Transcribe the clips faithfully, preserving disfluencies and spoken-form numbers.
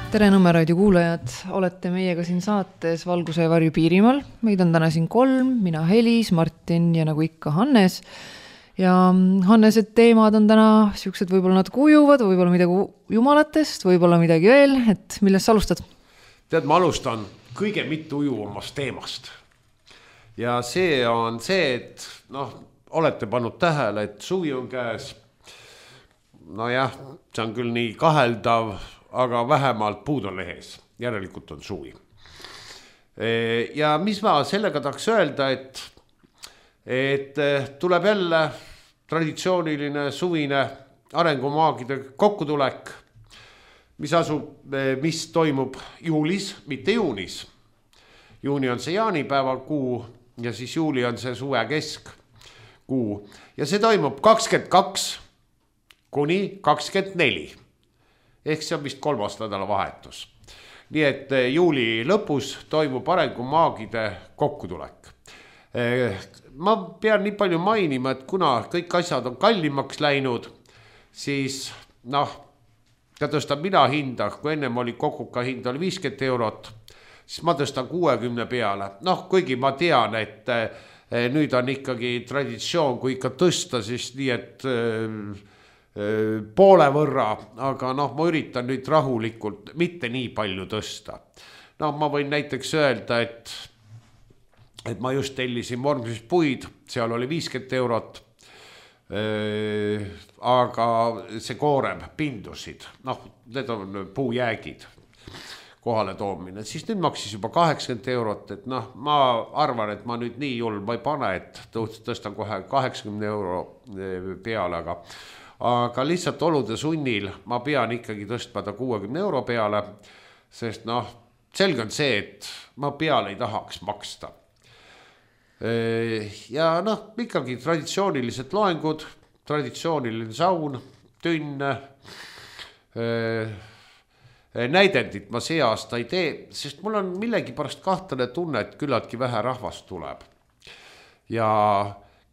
Tere Nõmme raadio kuulajad, olete meiega siin saates Valguse ja varju Piirimaal. Meid on täna siin kolm, mina Helis, Martin ja nagu ikka Hannes. Ja Hannesed teemad on täna siuksed võib-olla natuke ujuvad, võib-olla midagi jumalatest, võib-olla midagi veel, et millest sa alustad? Tead, ma alustan kõige mitte ujuvamast teemast. Ja see on see, et noh, olete pannud tähele, et suvi on käes. No jah, see on küll nii kaheldav, aga vähemalt puud on lehes, järelikult on suvi. Ja mis ma sellega tahaks öelda, et, et tuleb jälle traditsiooniline suvine arengumaagide kokkutulek, mis asub, mis toimub juulis, mitte juunis. Juuni on see jaanipäeva kuu ja siis juuli on see suve keskkuu. Ja see toimub kakskümmend kaks kuni kakskümmend neli. Ehk see on vist kolmas nädala vahetus. Nii et juuli lõpus toimub arengumaagide kokkutulek. Ma pean nii palju mainima, et kuna kõik asjad on kallimaks läinud, siis noh, ta tõstab mina hinda, kui ennem oli kokuka hind oli viiskümmend eurot, siis ma tõstan kuuekümne peale. Noh, kuigi ma tean, et nüüd on ikkagi traditsioon, kui ikka tõsta, siis nii, et poole võrra, aga noh, ma üritan nüüd rahulikult mitte nii palju tõsta. No ma võin näiteks öelda, et, et ma just tellisin Vormsis puid, seal oli viiskümmend eurot, aga see koorem pindusid, noh, need on puujäägid kohale toomine, siis nüüd maksis juba kaheksakümmend eurot, et noh, ma arvan, et ma nüüd nii julm ei pane, et tõstan kohe kaheksakümne euro peale, aga aga lihtsalt olude sunnil ma pean ikkagi tõstma ta kuuekümne euro peale, sest noh, selge on see, et ma peale ei tahaks maksta. Ja noh, ikkagi traditsioonilised loengud, traditsiooniline saun, tünn, näidendit ma see aasta ei tee, sest mul on millegi pärast kahtlane tunne, et küllaltki vähe rahvast tuleb. Ja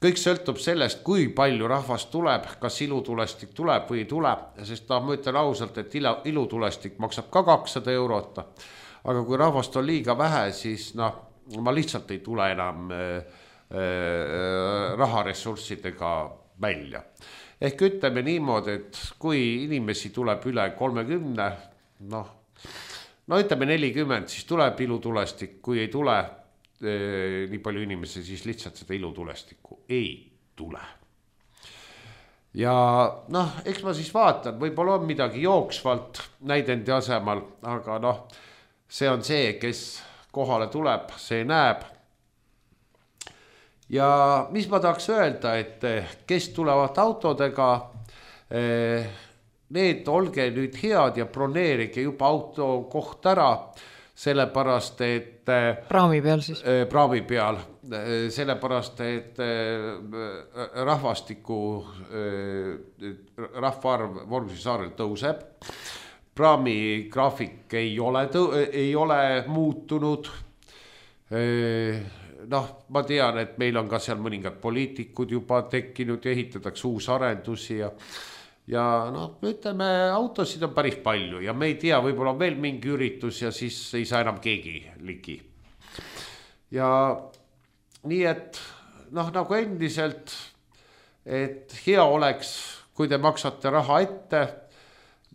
kõik sõltub sellest, kui palju rahvast tuleb, kas ilutulestik tuleb või ei tule, sest noh, ma ütlen ausalt, et ilutulestik maksab ka kakssada eurot, aga kui rahvast on liiga vähe, siis noh, ma lihtsalt ei tule enam äh, äh, raharessurssidega välja. Ehk ütleme niimoodi, et kui inimesi tuleb üle kolmekümne, noh, no ütleme nelikümmend, siis tuleb ilutulestik, kui ei tule nii palju inimesi, siis lihtsalt seda ilutulestikku ei tule. Ja noh, eks ma siis vaatan, võib-olla on midagi jooksvalt näidendi asemal, aga noh, see on see, kes kohale tuleb, see näeb. Ja mis ma tahaks öelda, et kes tulevad autodega, need olge nüüd head ja broneerige juba auto koht ära, sellepärast, et praami peal siis. Praami peal, sellepärast, et rahvastiku rahvaarv Vormsi saarel tõuseb. Praami graafik ei ole, ei ole muutunud. Noh, ma tean, et meil on ka seal mõningad poliitikud juba tekkinud ja ehitatakse uus arendusi ja Ja noh, ütleme, autosid on päris palju ja me ei tea, võib-olla on veel mingi üritus ja siis ei saa enam keegi ligi. Ja nii, et noh, nagu endiselt, et hea oleks, kui te maksate raha ette,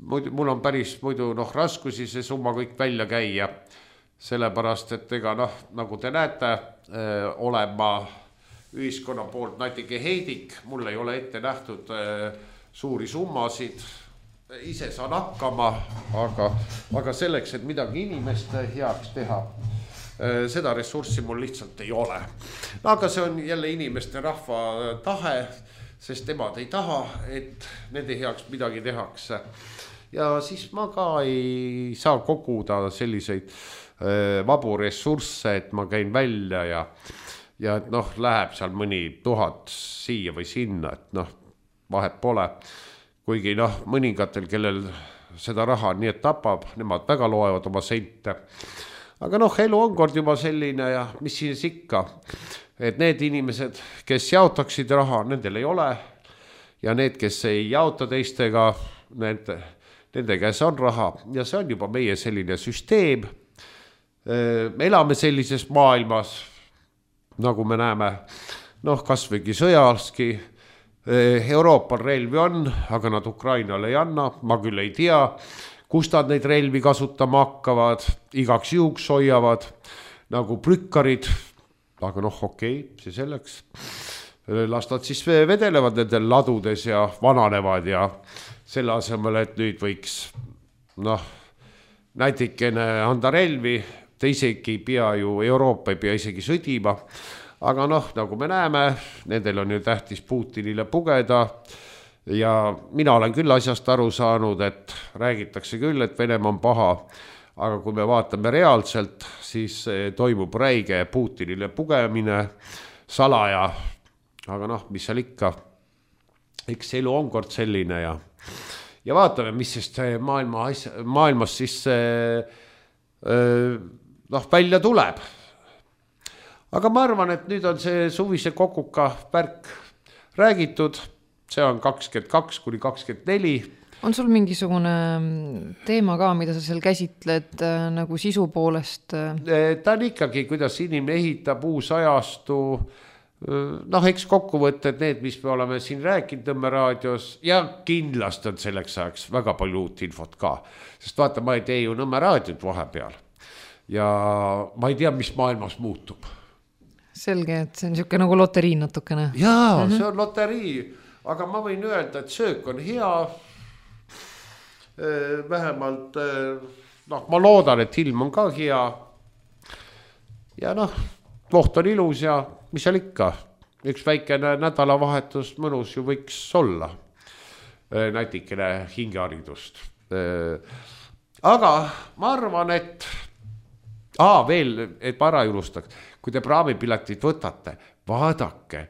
mul on päris muidu noh, raskusi see summa kõik välja käia, sellepärast, et ega noh, nagu te näete, olen ma ühiskonna poolt natuke heidik, mul ei ole ette nähtud suuri summasid, ise saan hakkama, aga, aga selleks, et midagi inimeste heaks teha, seda ressurssi mul lihtsalt ei ole. Aga see on jälle inimeste rahva tahe, sest nemad ei taha, et nende heaks midagi tehakse. Ja siis ma ka ei saa koguda selliseid vabu ressursse, et ma käin välja ja, ja et noh, läheb seal mõni tuhat siia või sinna, et noh, vahet pole, kuigi noh, mõningatel, kellel seda raha nii et tapab, nemad väga loevad oma sente. Aga noh, elu on kord juba selline ja mis siis ikka, et need inimesed, kes jaotaksid raha, nendel ei ole ja need, kes ei jaota teistega, need, nende käes on raha ja see on juba meie selline süsteem. Me elame sellises maailmas, nagu me näeme, noh, kasvõigi sõjaski. Euroopal relvi on, aga nad Ukrainale ei anna, ma küll ei tea, kus nad neid relvi kasutama hakkavad, igaks juhuks hoiavad, nagu prükkarid, aga noh, okei, see selleks. Las nad siis vedelevad nendel ladudes ja vananevad ja selle asemel, et nüüd võiks, noh, näitikene anda relvi, te isegi ei pea ju, Euroopa ei pea isegi sõdima, aga noh, nagu me näeme, nendel on ju tähtis Putinile pugeda ja mina olen küll asjast aru saanud, et räägitakse küll, et Venemaa on paha, aga kui me vaatame reaalselt, siis toimub räige Putinile pugemine salaja, aga noh, mis seal ikka, eks elu on kord selline ja, ja vaatame, mis sest maailma, maailmas siis noh, välja tuleb. Aga ma arvan, et nüüd on see suvise kokuka värk räägitud, see on kakskümmend kaks kuni kakskümmend neli. On sul mingisugune teema ka, mida sa seal käsitled nagu sisu poolest? Ta on ikkagi, kuidas inimene ehitab uus ajastu, noh, eks kokkuvõtted need, mis me oleme siin rääkinud Tõmme raadios ja kindlasti on selleks ajaks väga palju uut infot ka, sest vaata, ma ei tee ju Nõmme raadiot vahepeal ja ma ei tea, mis maailmas muutub. Selge, et see on niisugune nagu loterii natukene. Jaa, see on loterii, aga ma võin öelda, et söök on hea, vähemalt, noh, ma loodan, et ilm on ka hea ja noh, koht on ilus ja mis seal ikka, üks väikene nädalavahetus mõnus ju võiks olla, näitikene hingeharidust. Aga ma arvan, et Aa, veel, et ma ära julustaks, kui te praamipiletit võtate, vaadake,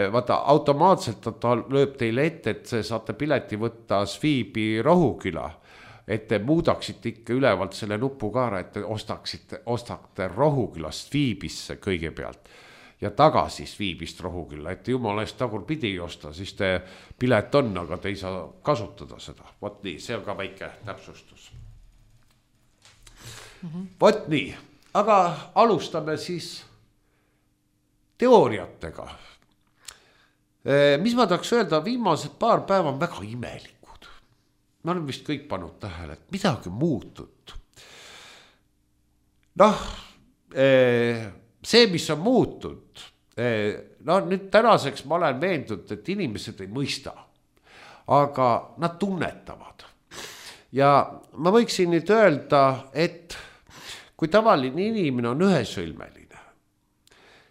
vaata automaatselt ta lööb teile ette, et saate pileti võtta Sviibi Rohuküla, et te muudaksite ikka ülevalt selle nupukaara, et te ostaksite, ostate Rohukülast Sviibisse kõigepealt ja tagasi Sviibist Rohukülla, et jumala eest tagurpidi ei osta, siis te pilet on, aga te ei saa kasutada seda. Vot nii, see on ka väike täpsustus. Vot nii, aga alustame siis teooriatega. Mis ma tahaks öelda, viimased paar päeva on väga imelikud. Ma olen vist kõik pannud tähele, et midagi muutud. Noh, see, mis on muutud, no nüüd tänaseks ma olen veendunud, et inimesed ei mõista, aga nad tunnetavad. Ja ma võiksin nüüd öelda, et kui tavaline inimene on ühesõlmeline,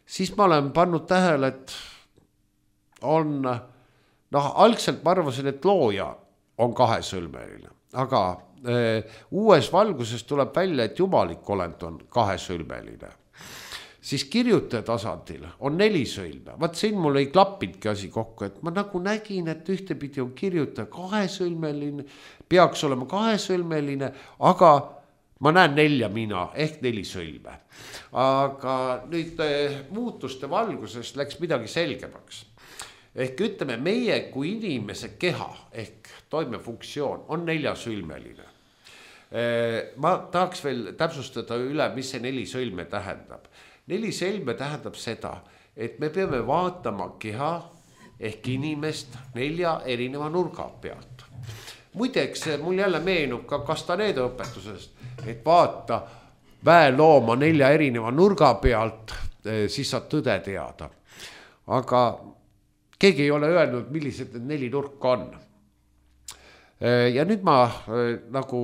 siis ma olen pannud tähele, et on, noh, algselt ma arvasin, et looja on kahesõlmeline, aga e, uues valguses tuleb välja, et jumalik olend on kahesõlmeline. Siis kirjutaja tasandil on neli sõlme. Vaat siin mul ei klappinudki asi kokku, et ma nagu nägin, et ühtepidi on kirjutaja kahesõlmeline, peaks olema kahesõlmeline, aga ma näen nelja mina ehk neli sõlme. Aga nüüd muutuste valguses läks midagi selgemaks. Ehk ütleme, meie kui inimese keha ehk toimefunktsioon on neljasõlmeline. Ma tahaks veel täpsustada üle, mis see neli sõlme tähendab. Neli sõlme tähendab seda, et me peame vaatama keha ehk inimest nelja erineva nurga pealt. Muideks, mul jälle meenub ka Castaneda õpetusest, et vaata väelooma nelja erineva nurga pealt, siis saad tõde teada. Aga keegi ei ole öelnud, millised need neli nurka on. Ja nüüd ma nagu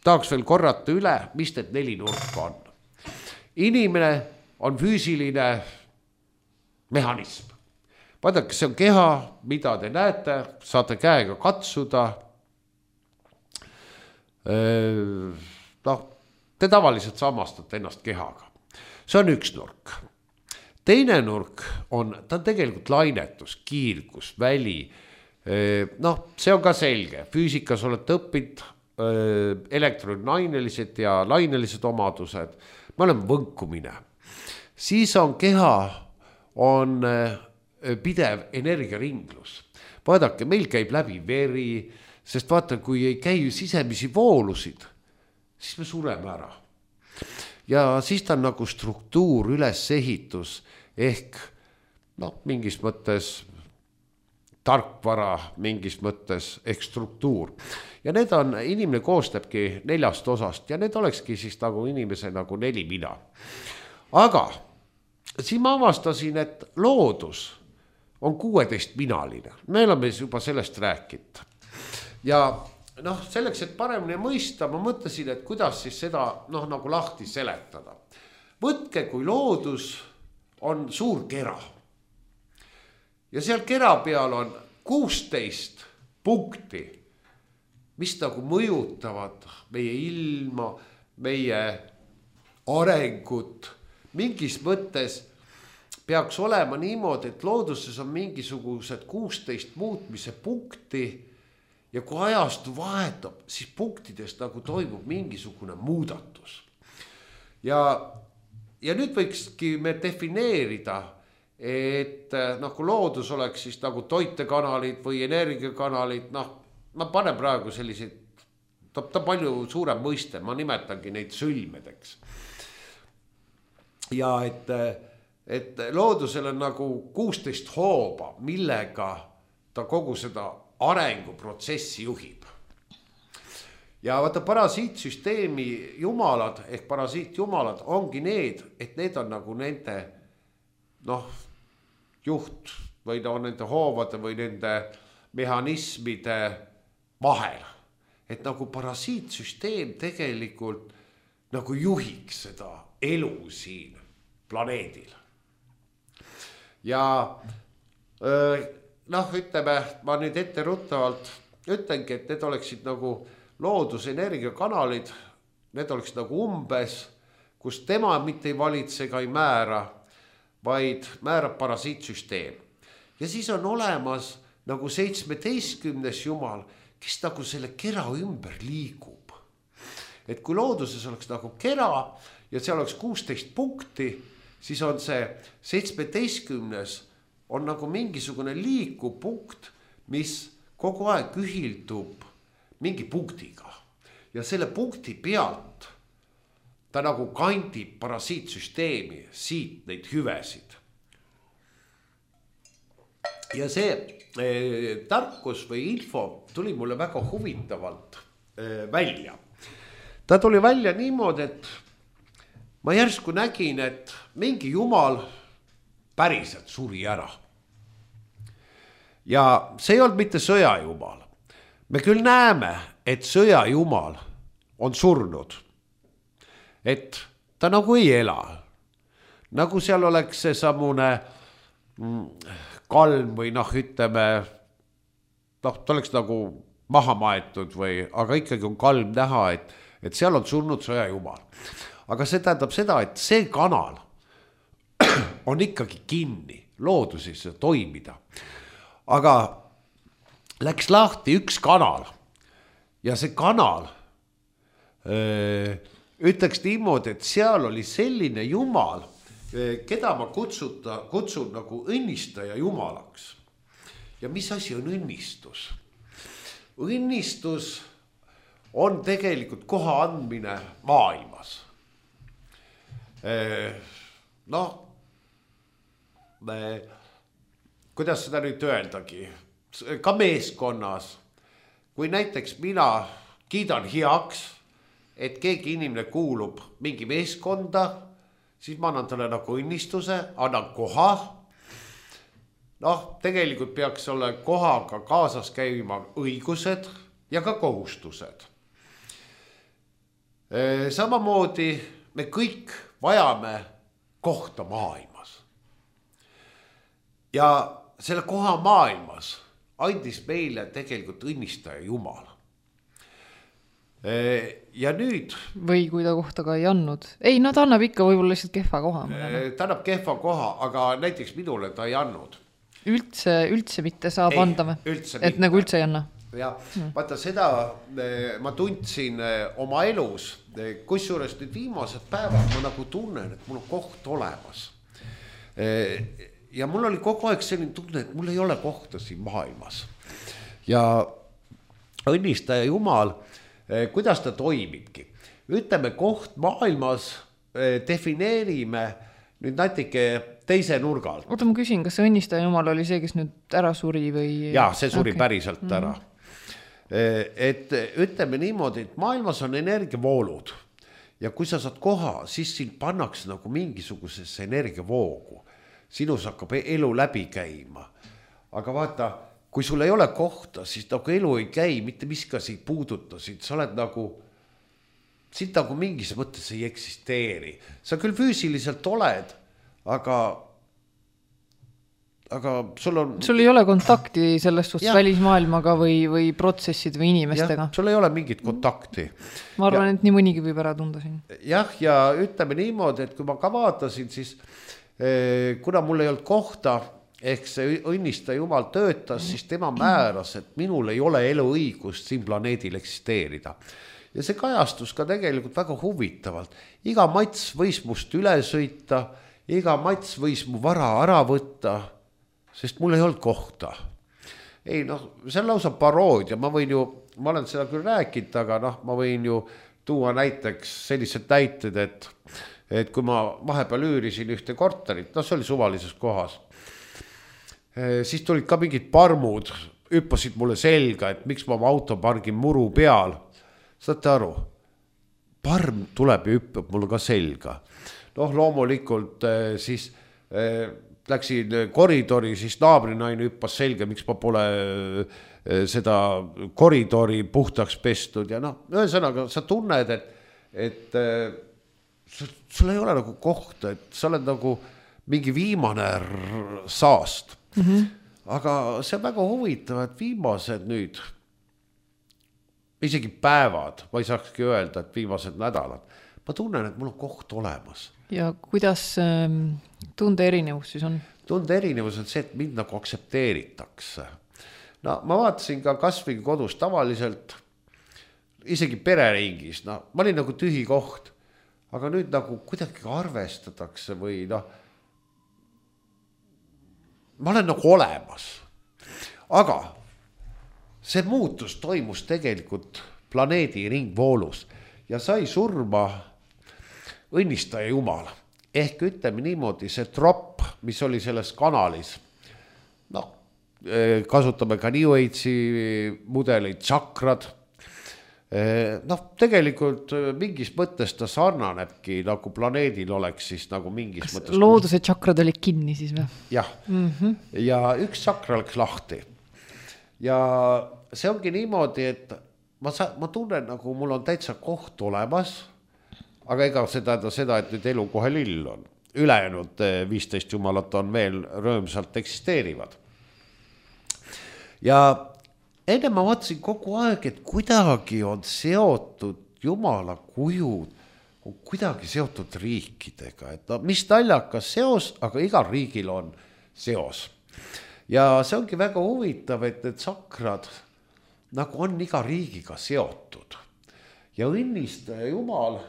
tahaks veel korrata üle, mis need neli nurka on. Inimene on füüsiline mehhanism. Vaadake, see on keha, mida te näete, saate käega katsuda. No, te tavaliselt samastate ennast kehaga. See on üks nurk. Teine nurk on, ta on tegelikult lainetus, kiirgus, väli. No, see on ka selge. Füüsikas olete õppinud elektronainelised ja lainelised omadused. Me oleme võnkumine. Siis on keha, on pidev energiaringlus. Vaadake, meil käib läbi veri, sest vaata, kui ei käi sisemisi voolusid, siis me sureme ära. Ja siis ta on nagu struktuur, ülesehitus ehk noh, mingis mõttes tarkvara, mingis mõttes ehk struktuur. Ja need on, inimene koostabki neljast osast ja need olekski siis nagu inimese nagu neli mina. Aga siin ma avastasin, et loodus on kuueteist minaline. Me oleme juba sellest rääkinud. Ja noh, selleks, et paremini mõista, ma mõtlesin, et kuidas siis seda noh, nagu lahti seletada. Võtke, kui loodus on suur kera. Ja seal kera peal on kuusteist punkti, mis nagu mõjutavad meie ilma, meie arengut. Mingis mõttes peaks olema niimoodi, et looduses on mingisugused kuusteist muutmise punkti ja kui ajastu vahetab, siis punktidest nagu toimub mingisugune muudatus. Ja, ja nüüd võikski me defineerida, et noh, kui loodus oleks siis nagu toitekanalid või energiakanalid, noh, ma panen praegu selliseid, ta, ta palju suurem mõiste, ma nimetangi neid sõlmedeks. Ja et, et loodusel on nagu kuusteist hooba, millega ta kogu seda arenguprotsessi juhib. Ja vaata parasiitsüsteemi jumalad ehk parasiitjumalad ongi need, et need on nagu nende noh, juht või no nende hoovade või nende mehhanismide vahel. Et nagu parasiitsüsteem tegelikult nagu juhiks seda elu siin planeedil. Ja noh, ütleme, ma nüüd ette ruttavalt ütlengi, et need oleksid nagu loodusenergiakanalid, need oleksid nagu umbes, kus tema mitte ei valitse ega ei määra, vaid määrab parasiitsüsteem. Ja siis on olemas nagu seitsmeteistkümnes jumal, kes nagu selle kera ümber liigub. Et kui looduses oleks nagu kera ja seal oleks kuusteist punkti, siis on see seitsmeteistkümnes on nagu mingisugune liikuv punkt, mis kogu aeg ühildub mingi punktiga. Ja selle punkti pealt ta nagu kandib parasiitsüsteemi, siit neid hüvesid. Ja see eh, tarkus või info tuli mulle väga huvitavalt eh, välja. Ta tuli välja niimoodi, et ma järsku nägin, et mingi jumal päriselt suri ära. Ja see ei olnud mitte sõjajumal. Me küll näeme, et sõjajumal on surnud. Et ta nagu ei ela. Nagu seal oleks see samune kalm või noh, ütleme, noh, ta oleks nagu maha maetud või, aga ikkagi on kalm näha, et, et seal on surnud sõjajumal. Aga see tähendab seda, et see kanal on ikkagi kinni looduses toimida. Aga läks lahti üks kanal ja see kanal öö, ütleks niimoodi, et seal oli selline jumal, keda ma kutsuta, kutsun nagu õnnistaja jumalaks. Ja mis asi on õnnistus? Õnnistus on tegelikult koha andmine maailmas. Noh, kuidas seda nüüd öeldagi? Ka meeskonnas, kui näiteks mina kiidan heaks, et keegi inimene kuulub mingi meeskonda, siis ma annan talle nagu õnnistuse, annan koha. Noh, tegelikult peaks olla kohaga kaasas käima õigused ja ka kohustused. Samamoodi me kõik vajame kohta maailmas. Ja selle koha maailmas andis meile tegelikult õnnistaja Jumal. Ja nüüd... Või kui ta kohta ka ei andnud. Ei, no ta annab ikka võib-olla lihtsalt kehva koha. Ta annab kehva koha, aga näiteks minule ta ei andnud. Üldse, üldse mitte saab ei, andame. Et mitte. Nagu üldse ei anna. Ja vaata seda ma tundsin oma elus, kus juures nüüd viimased päevad ma nagu tunnen, et mul on koht olemas. Ja mul oli kogu aeg selline tunne, et mul ei ole kohta siin maailmas. Ja õnnistaja Jumal, kuidas ta toimibki. Ütleme, koht maailmas defineerime nüüd natuke teise nurga alt. Oota, ma küsin, kas see õnnistaja Jumal oli see, kes nüüd ära suri või? Jaa, see suri okay. päriselt ära. Mm-hmm. Et ütleme niimoodi, et maailmas on energiavoolud ja kui sa saad koha, siis sind pannakse nagu mingisugusesse energiavoogu. Sinus hakkab elu läbi käima. Aga vaata, kui sul ei ole kohta, siis nagu elu ei käi, mitte miskasi ei puuduta sind. Sa oled nagu, sind nagu mingis mõttes ei eksisteeri. Sa küll füüsiliselt oled, aga, aga sul on... Sul ei ole kontakti sellest suhtes välismaailmaga või, või protsessid või inimestega. Ja, sul ei ole mingit kontakti. Ma arvan, ja, et nii mõnigi võib ära tunda siin. Jah, ja ütleme niimoodi, et kui ma ka vaatasin, siis eh, kuna mul ei olnud kohta, ehk see õnnistaja Jumal töötas, siis tema määras, et minul ei ole eluõigust siin planeedil eksisteerida. Ja see kajastus ka tegelikult väga huvitavalt. Iga mats võis must üle sõita, iga mats võis mu vara ära võtta, sest mul ei olnud kohta. Ei, noh, see on lausa paroodia, ma võin ju, ma olen seda küll rääkinud, aga noh, ma võin ju tuua näiteks sellised näited, et, et kui ma vahepeal üürisin ühte korterit, no see oli suvalises kohas, siis tulid ka mingid parmud, hüppasid mulle selga, et miks ma oma auto pargin muru peal. Saate aru, parm tuleb ja hüppab mulle ka selga. Noh, loomulikult siis äh, läksin koridori, siis naabrinaine hüppas selga, miks ma pole äh, seda koridori puhtaks pestud. Ja noh, ühesõnaga sa tunned, et, et äh, sul ei ole nagu kohta, et sa oled nagu mingi viimane saast. Mm-hmm. Aga see on väga huvitav, et viimased nüüd, isegi päevad, ma ei saakski öelda, et viimased nädalad, ma tunnen, et mul on koht olemas. Ja kuidas ähm, tunde erinevus siis on? Tunde erinevus on see, et mind nagu aksepteeritakse. No, ma vaatasin ka kasvõi kodus tavaliselt, isegi pereringis, no, ma olin nagu tühi koht, aga nüüd nagu kuidagi arvestatakse või noh, ma olen nagu olemas. Aga see muutus toimus tegelikult planeedi ringvoolus ja sai surma õnnistaja Jumal. Ehk ütleme niimoodi, see tropp, mis oli selles kanalis, no, kasutame ka New Age'i mudeleid, tsakrad, noh, tegelikult mingis mõttes ta sarnanebki, nagu planeedil oleks siis nagu mingis Kas mõttes. Looduse tsakrad olid kinni siis või? Jah, mm-hmm. ja üks tsakra läks lahti. Ja see ongi niimoodi, et ma, sa, ma tunnen, nagu mul on täitsa koht olemas, aga ega see tähendab seda, et nüüd elu kohe lill on. Ülejäänud viisteist jumalat on veel rõõmsalt eksisteerivad. Ja enne ma vaatasin kogu aeg, et kuidagi on seotud Jumala kujud, on kuidagi seotud riikidega. Et no, mis naljakas seos, aga igal riigil on seos. Ja see ongi väga huvitav, et need sakrad nagu on iga riigiga seotud. Ja õnnistaja Jumal,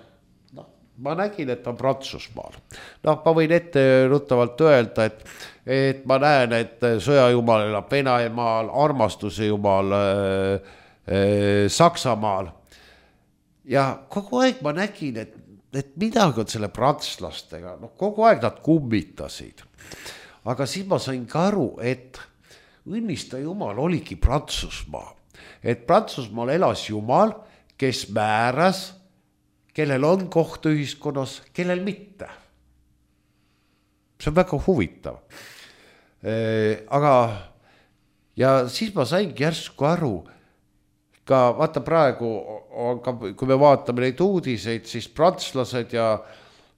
no, ma nägin, et on Prantsusmaal. No, ma võin ette ruttavalt öelda, et, et ma näen, et sõja Jumal elab Venemaal, armastuse Jumal äh, äh, Saksamaal. Ja kogu aeg ma nägin, et, et midagi on selle prantslastega, no, kogu aeg nad kummitasid. Aga siis ma sain ka aru, et õnnistaja Jumal oligi Prantsusmaa. Et Prantsusmaal elas Jumal, kes määras, kellel on koht ühiskonnas, kellel mitte. See on väga huvitav. Aga ja siis ma saingi järsku aru, ka vaata praegu, kui me vaatame neid uudiseid, siis prantslased ja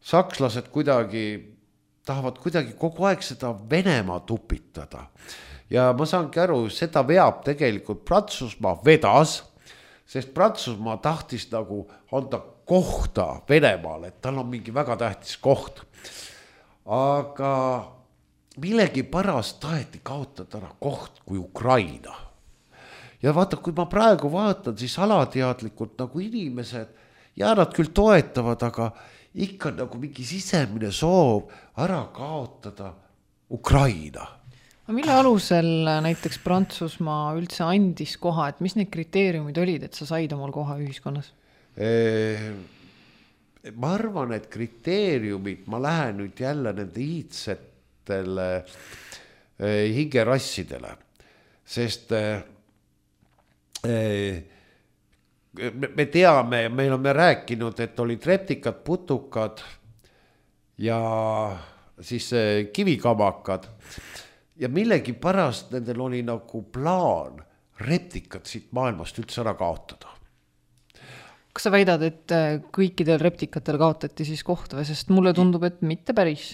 sakslased kuidagi tahavad kuidagi kogu aeg seda Venemaa tupitada. Ja ma saangi aru, seda veab tegelikult Prantsusmaa vedas, sest Prantsusmaa tahtis nagu anda kohta Venemaal, et tal on mingi väga tähtis koht. Aga millegi pärast taheti kaotada koht kui Ukraina. Ja vaata, kui ma praegu vaatan, siis alateadlikult nagu inimesed, ja nad küll toetavad, aga ikka nagu mingi sisemine soov ära kaotada Ukraina. Mille alusel näiteks Prantsusmaa üldse andis koha, et mis need kriteeriumid olid, et sa said omal koha ühiskonnas? Ma arvan, et kriteeriumid, ma lähen nüüd jälle nende iidsetele hingerassidele, sest me teame, meil on me rääkinud, et olid reptikad, putukad ja siis kivikamakad ja millegi pärast nendel oli nagu plaan reptikad siit maailmast üldse ära kaotada. Kas sa väidad, et kõikidel reptikatel kaotati siis koht või, sest mulle tundub, et mitte päris?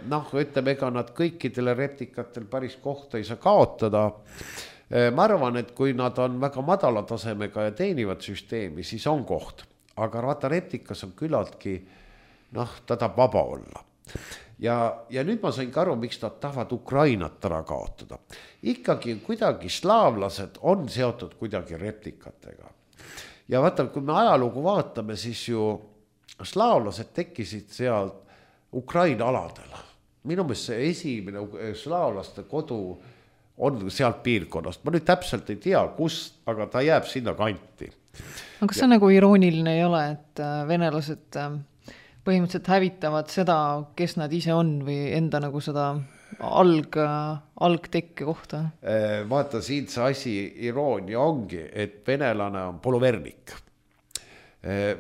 Noh, ütleme, ega nad kõikidele reptikatel päris kohta ei saa kaotada. Ma arvan, et kui nad on väga madala tasemega ja teenivad süsteemi, siis on koht. Aga vaata, reptikas on küllaltki, noh, ta tahab vaba olla. Ja, ja nüüd ma sain ka aru, miks nad tahavad Ukrainat ära kaotada. Ikkagi kuidagi slaavlased on seotud kuidagi reptikatega. Ja vaata, kui me ajalugu vaatame, siis ju slaavlased tekkisid sealt Ukraina aladel. Minu meelest see esimene slaavlaste kodu on sealt piirkonnast. Ma nüüd täpselt ei tea, kus, aga ta jääb sinna kanti. Aga kas see ja... nagu irooniline ei ole, et venelased põhimõtteliselt hävitavad seda, kes nad ise on või enda nagu seda alg, algtekke kohta? Vaata, siin see asi iroonia ongi, et venelane on polovernik.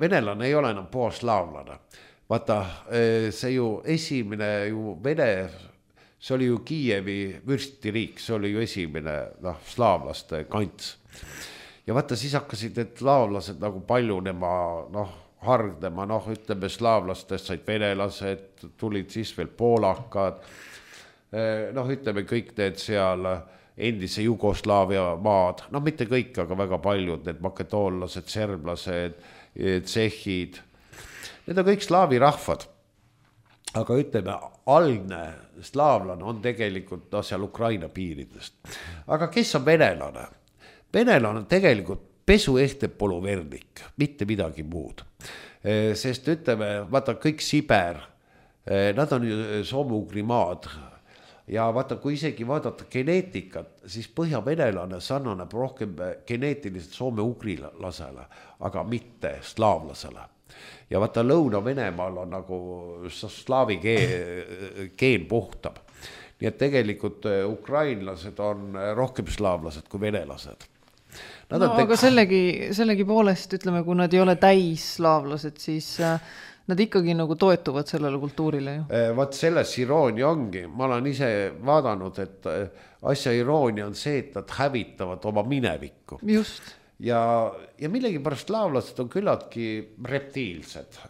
Venelane ei ole enam puhaslaavlane. Vaata, see ju esimene ju Vene, see oli ju Kiievi vürstiriik, see oli ju esimene noh, slaavlaste kants. Ja vaata, siis hakkasid need slaavlased nagu paljunema, noh, hargnema, noh, ütleme, slaavlastest said venelased, tulid siis veel poolakad, noh, ütleme, kõik need seal endise Jugoslaavia maad, noh, mitte kõik, aga väga paljud, need makedoonlased, serblased, tsehhid, need on kõik slaavi rahvad. Aga ütleme, algne slaavlane on tegelikult no, seal Ukraina piiridest. Aga kes on venelane? Venelane on tegelikult pesuehte polovernik, mitte midagi muud. Sest ütleme, vaata kõik Siber, nad on ju soome-ugri maad. Ja vaata, kui isegi vaadata geneetikat, siis põhjavenelane sarnaneb rohkem geneetiliselt soome-ugrilasele, aga mitte slaavlasele. Ja vaata, Lõuna-Venemaal on nagu slaavi geen puhtab. Nii et tegelikult ukrainlased on rohkem slaavlased kui venelased. Nad no, te... aga sellegi, sellegi poolest, ütleme, kui nad ei ole täis slaavlased, siis nad ikkagi nagu toetuvad sellele kultuurile ju. Vaat selles iroonia ongi. Ma olen ise vaadanud, et asja iroonia on see, et nad hävitavad oma minevikku. Just. Ja, ja millegi pärast slaavlased on küllaltki reptiilsed.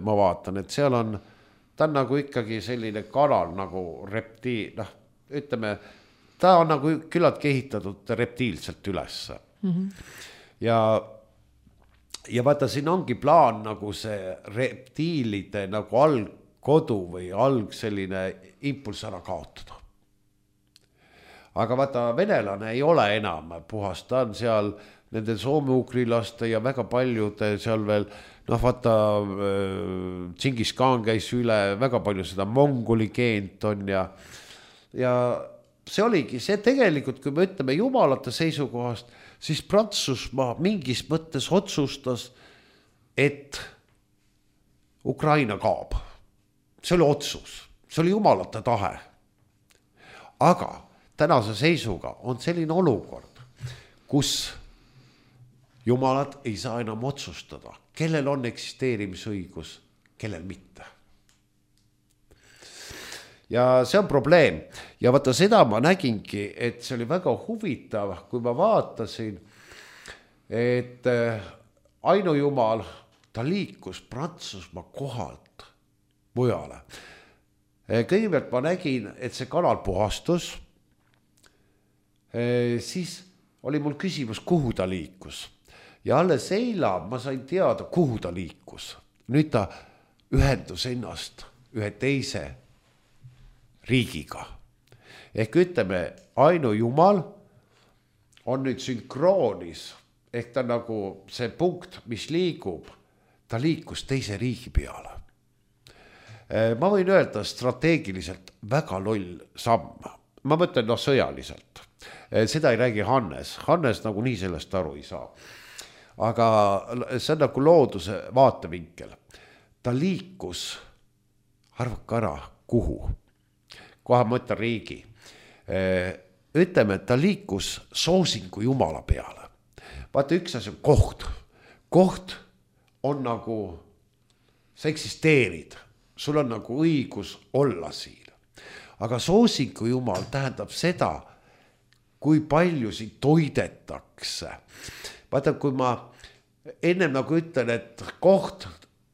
Ma vaatan, et seal on, ta on nagu ikkagi selline kanal nagu reptiil, noh, ütleme, ta on nagu küllaltki ehitatud reptiilselt üles. Mm-hmm. Ja, ja vaata, siin ongi plaan nagu see reptiilide nagu algkodu või alg selline impulss ära kaotada. Aga vaata, venelane ei ole enam puhas, ta on seal nende soome-ugrilaste ja väga paljude seal veel, noh vaata, Džingis Khan käis üle, väga palju seda mongoli geent on ja, ja see oligi, see tegelikult, kui me ütleme jumalate seisukohast, siis Prantsusmaa mingis mõttes otsustas, et Ukraina kaob. See oli otsus, see oli jumalate tahe. Aga tänase seisuga on selline olukord, kus jumalad ei saa enam otsustada, kellel on eksisteerimisõigus, kellel mitte. Ja see on probleem. Ja vaata seda ma nägingi, et see oli väga huvitav, kui ma vaatasin, et ainujumal, ta liikus Prantsusmaa kohalt mujale. Kõigepealt ma nägin, et see kanal puhastus, siis oli mul küsimus, kuhu ta liikus. Ja alles eila ma sain teada, kuhu ta liikus. Nüüd ta ühendus ennast ühe teise riigiga. Ehk ütleme, ainu jumal on nüüd sünkroonis, ehk ta nagu see punkt, mis liigub, ta liikus teise riigi peale. Ma võin öelda strateegiliselt väga loll samm. ma mõtlen noh sõjaliselt, seda ei räägi Hannes, Hannes nagu nii sellest aru ei saa. Aga see on nagu looduse vaatevinkel. Ta liikus, arvake ära, kuhu? Kohe mõtlen riigi. Ütleme, et ta liikus Soosingu jumala peale. Vaata, üks asi on koht. Koht on nagu, sa eksisteerid, sul on nagu õigus olla siin. Aga Soosingu jumal tähendab seda, kui palju siin toidetakse. Vaata, kui ma ennem nagu ütlen, et koht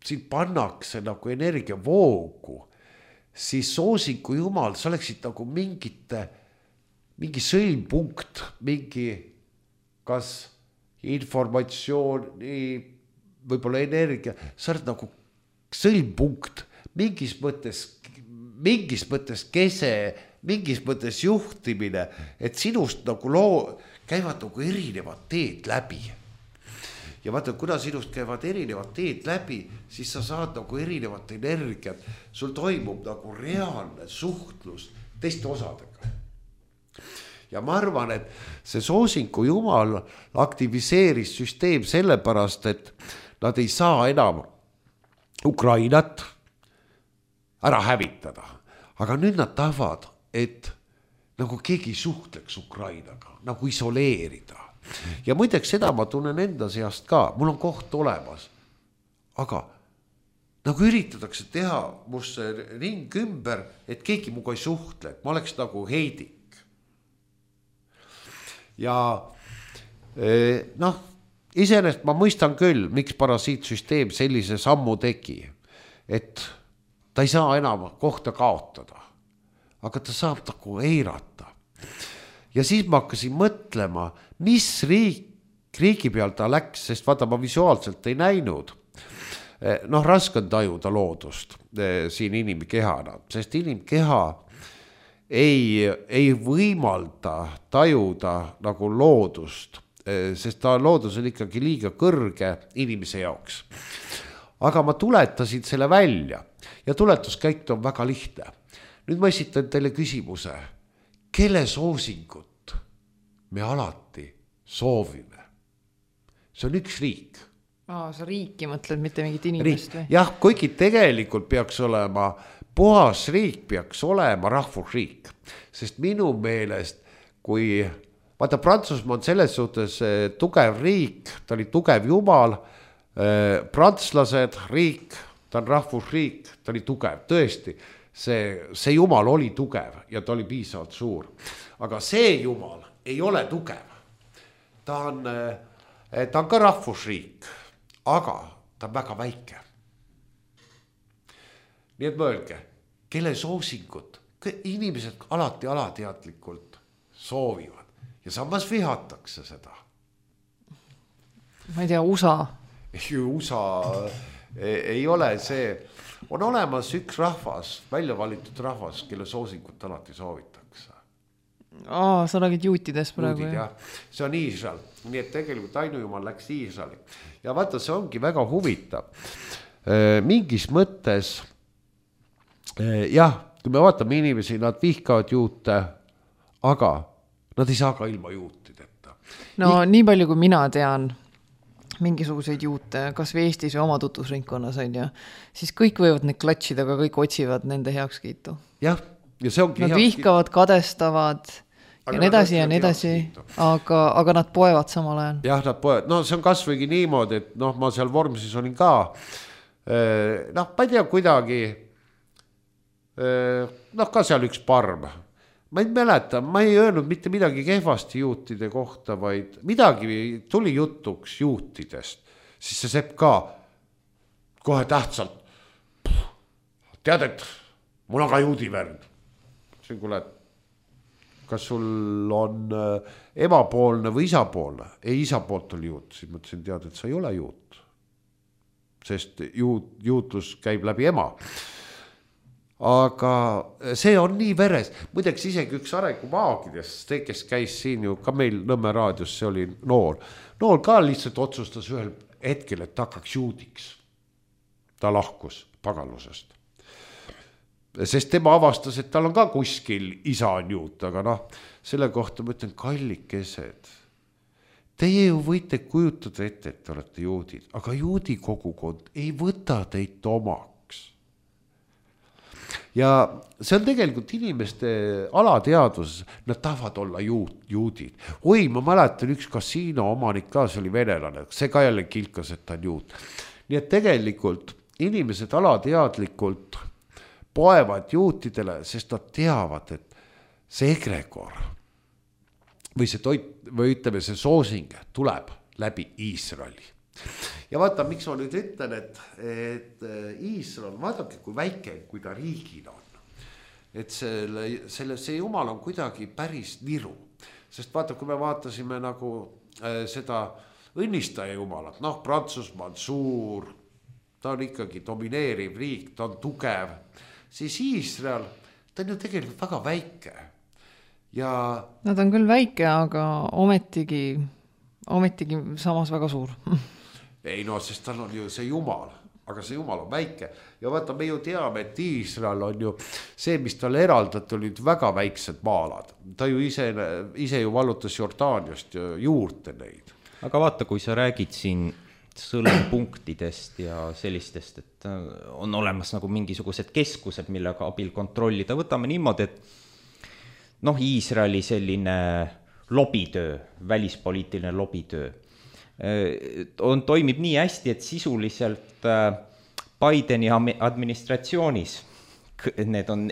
siin pannakse nagu energiavoogu, siis Soosingu jumal, sa oleksid nagu mingite, mingi sõlmpunkt, mingi kas informatsiooni, võib-olla energia, sa oled nagu sõlmpunkt, mingis mõttes, mingis mõttes kese, mingis mõttes juhtimine, et sinust nagu loo, käivad nagu erinevad teed läbi. Ja vaata, kuna sinust käivad erinevad teed läbi, siis sa saad nagu erinevat energiat, sul toimub nagu reaalne suhtlus teiste osadega. Ja ma arvan, et see Soosingu jumal aktiviseeris süsteem sellepärast, et nad ei saa enam Ukrainat ära hävitada. Aga nüüd nad tahavad, et nagu keegi suhtleks Ukrainaga, nagu isoleerida. Ja muideks seda ma tunnen enda seast ka, mul on koht olemas, aga nagu üritatakse teha must ring ümber, et keegi muga ei suhtle, et ma oleks nagu heidik. Ja noh, iseenesest ma mõistan küll, miks parasiitsüsteem sellise sammu tegi, et ta ei saa enam kohta kaotada, aga ta saab nagu eirata. Ja siis ma hakkasin mõtlema, mis riik, riigi peal ta läks, sest vaata ma visuaalselt ei näinud. Noh, raske on tajuda loodust siin inimkehana, sest inimkeha ei, ei võimalda tajuda nagu loodust, sest ta loodus on ikkagi liiga kõrge inimese jaoks. Aga ma tuletasin selle välja ja tuletuskäik on väga lihtne. Nüüd ma esitan teile küsimuse. Kelle soosingut me alati soovime? See on üks riik. Aa, sa riiki mõtled, mitte mingit inimest või? Jah, kuigi tegelikult peaks olema, puhas riik peaks olema rahvusriik. Sest minu meelest, kui, vaata Prantsusmaa on selles suhtes tugev riik, ta oli tugev jumal, prantslased, riik, ta on rahvusriik, ta oli tugev, tõesti. See, see jumal oli tugev ja ta oli piisavalt suur. Aga see jumal ei ole tugev. Ta on, ta on ka rahvusriik, aga ta on väga väike. Nii et mõelge, kelle soosingut inimesed alati alateadlikult soovivad ja samas vihatakse seda. Ma ei tea, U S A. U S A ei ole see, on olemas üks rahvas, välja valitud rahvas, kelle soosingut alati soovitakse. Aa, sa räägid juutidest praegu. Juutid, jah. See on Iisrael, nii et tegelikult ainujumal läks Iisraeli. Ja vaata, see ongi väga huvitav. Mingis mõttes, jah, kui me vaatame inimesi, nad vihkavad juute, aga nad ei saa ka ilma juutideta. No nii, nii palju, kui mina tean mingisuguseid juute, kas või Eestis või oma tutvusringkonnas on ja siis kõik võivad need klatšida, aga kõik otsivad nende heakskiitu. Jah, ja see ongi nad vihkavad, kadestavad ja nii edasi ja nii edasi, aga, aga nad poevad samal ajal. Jah, nad poevad, no see on kasvõigi niimoodi, et noh, ma seal Vormsis olin ka, noh, ma ei tea kuidagi, noh, ka seal üks parm. Ma ei mäleta, ma ei öelnud mitte midagi kehvasti juutide kohta, vaid midagi tuli jutuks juutidest. Siis see Sepp ka kohe tähtsalt. Tead, et mul on ka juudivärn. See kuule, kas sul on emapoolne või isapoolne? Ei, isapoolt oli juut. Siis mõtlesin, tead, et sa ei ole juut. Sest juut, juutlus käib läbi ema. Aga see on nii veres. Muideks isegi üks arengumaagidest, see, kes käis siin ju ka meil Nõmme raadios, see oli noor. Noor ka lihtsalt otsustas ühel hetkel, et ta hakkaks juudiks. Ta lahkus paganlusest. sest tema avastas, et tal on ka kuskil isa on juut, aga noh, selle kohta ma ütlen, kallikesed. Teie ju võite kujutada ette, et te olete juudid, aga juudi kogukond ei võta teid omaks. Ja see on tegelikult inimeste alateadvuses, nad tahavad olla juud, juudid. Oi, ma mäletan üks kasiino omanik ka, see oli venelane, see ka jälle kilkas, et ta on juud. Nii et tegelikult inimesed alateadlikult poevad juutidele, sest nad teavad, et see egregor või see toit, või ütleme, see soosing tuleb läbi Iisraeli. Ja vaata, miks ma nüüd ütlen, et, et Iisrael, vaadake, kui väike, kui ta riigil on. Et selle, selle, see jumal on kuidagi päris niru. Sest vaata, kui me vaatasime nagu äh, seda õnnistaja jumalat, noh, Prantsusmaa on suur, ta on ikkagi domineeriv riik, ta on tugev, siis Iisrael, ta on ju tegelikult väga väike. Ja nad on küll väike, aga ometigi, ometigi samas väga suur. Ei no, sest tal on ju see jumal, aga see jumal on väike. Ja vaata, me ju teame, et Iisrael on ju see, mis tal eraldat olid väga väiksed maalad. Ta ju ise, ise ju vallutas Jordaaniast juurde neid. Aga vaata, kui sa räägid siin sõlmpunktidest ja sellistest, et on olemas nagu mingisugused keskused, millega abil kontrollida. Võtame niimoodi, et noh, Iisraeli selline lobitöö, välispoliitiline lobitöö on, toimib nii hästi, et sisuliselt Bideni administratsioonis, need on,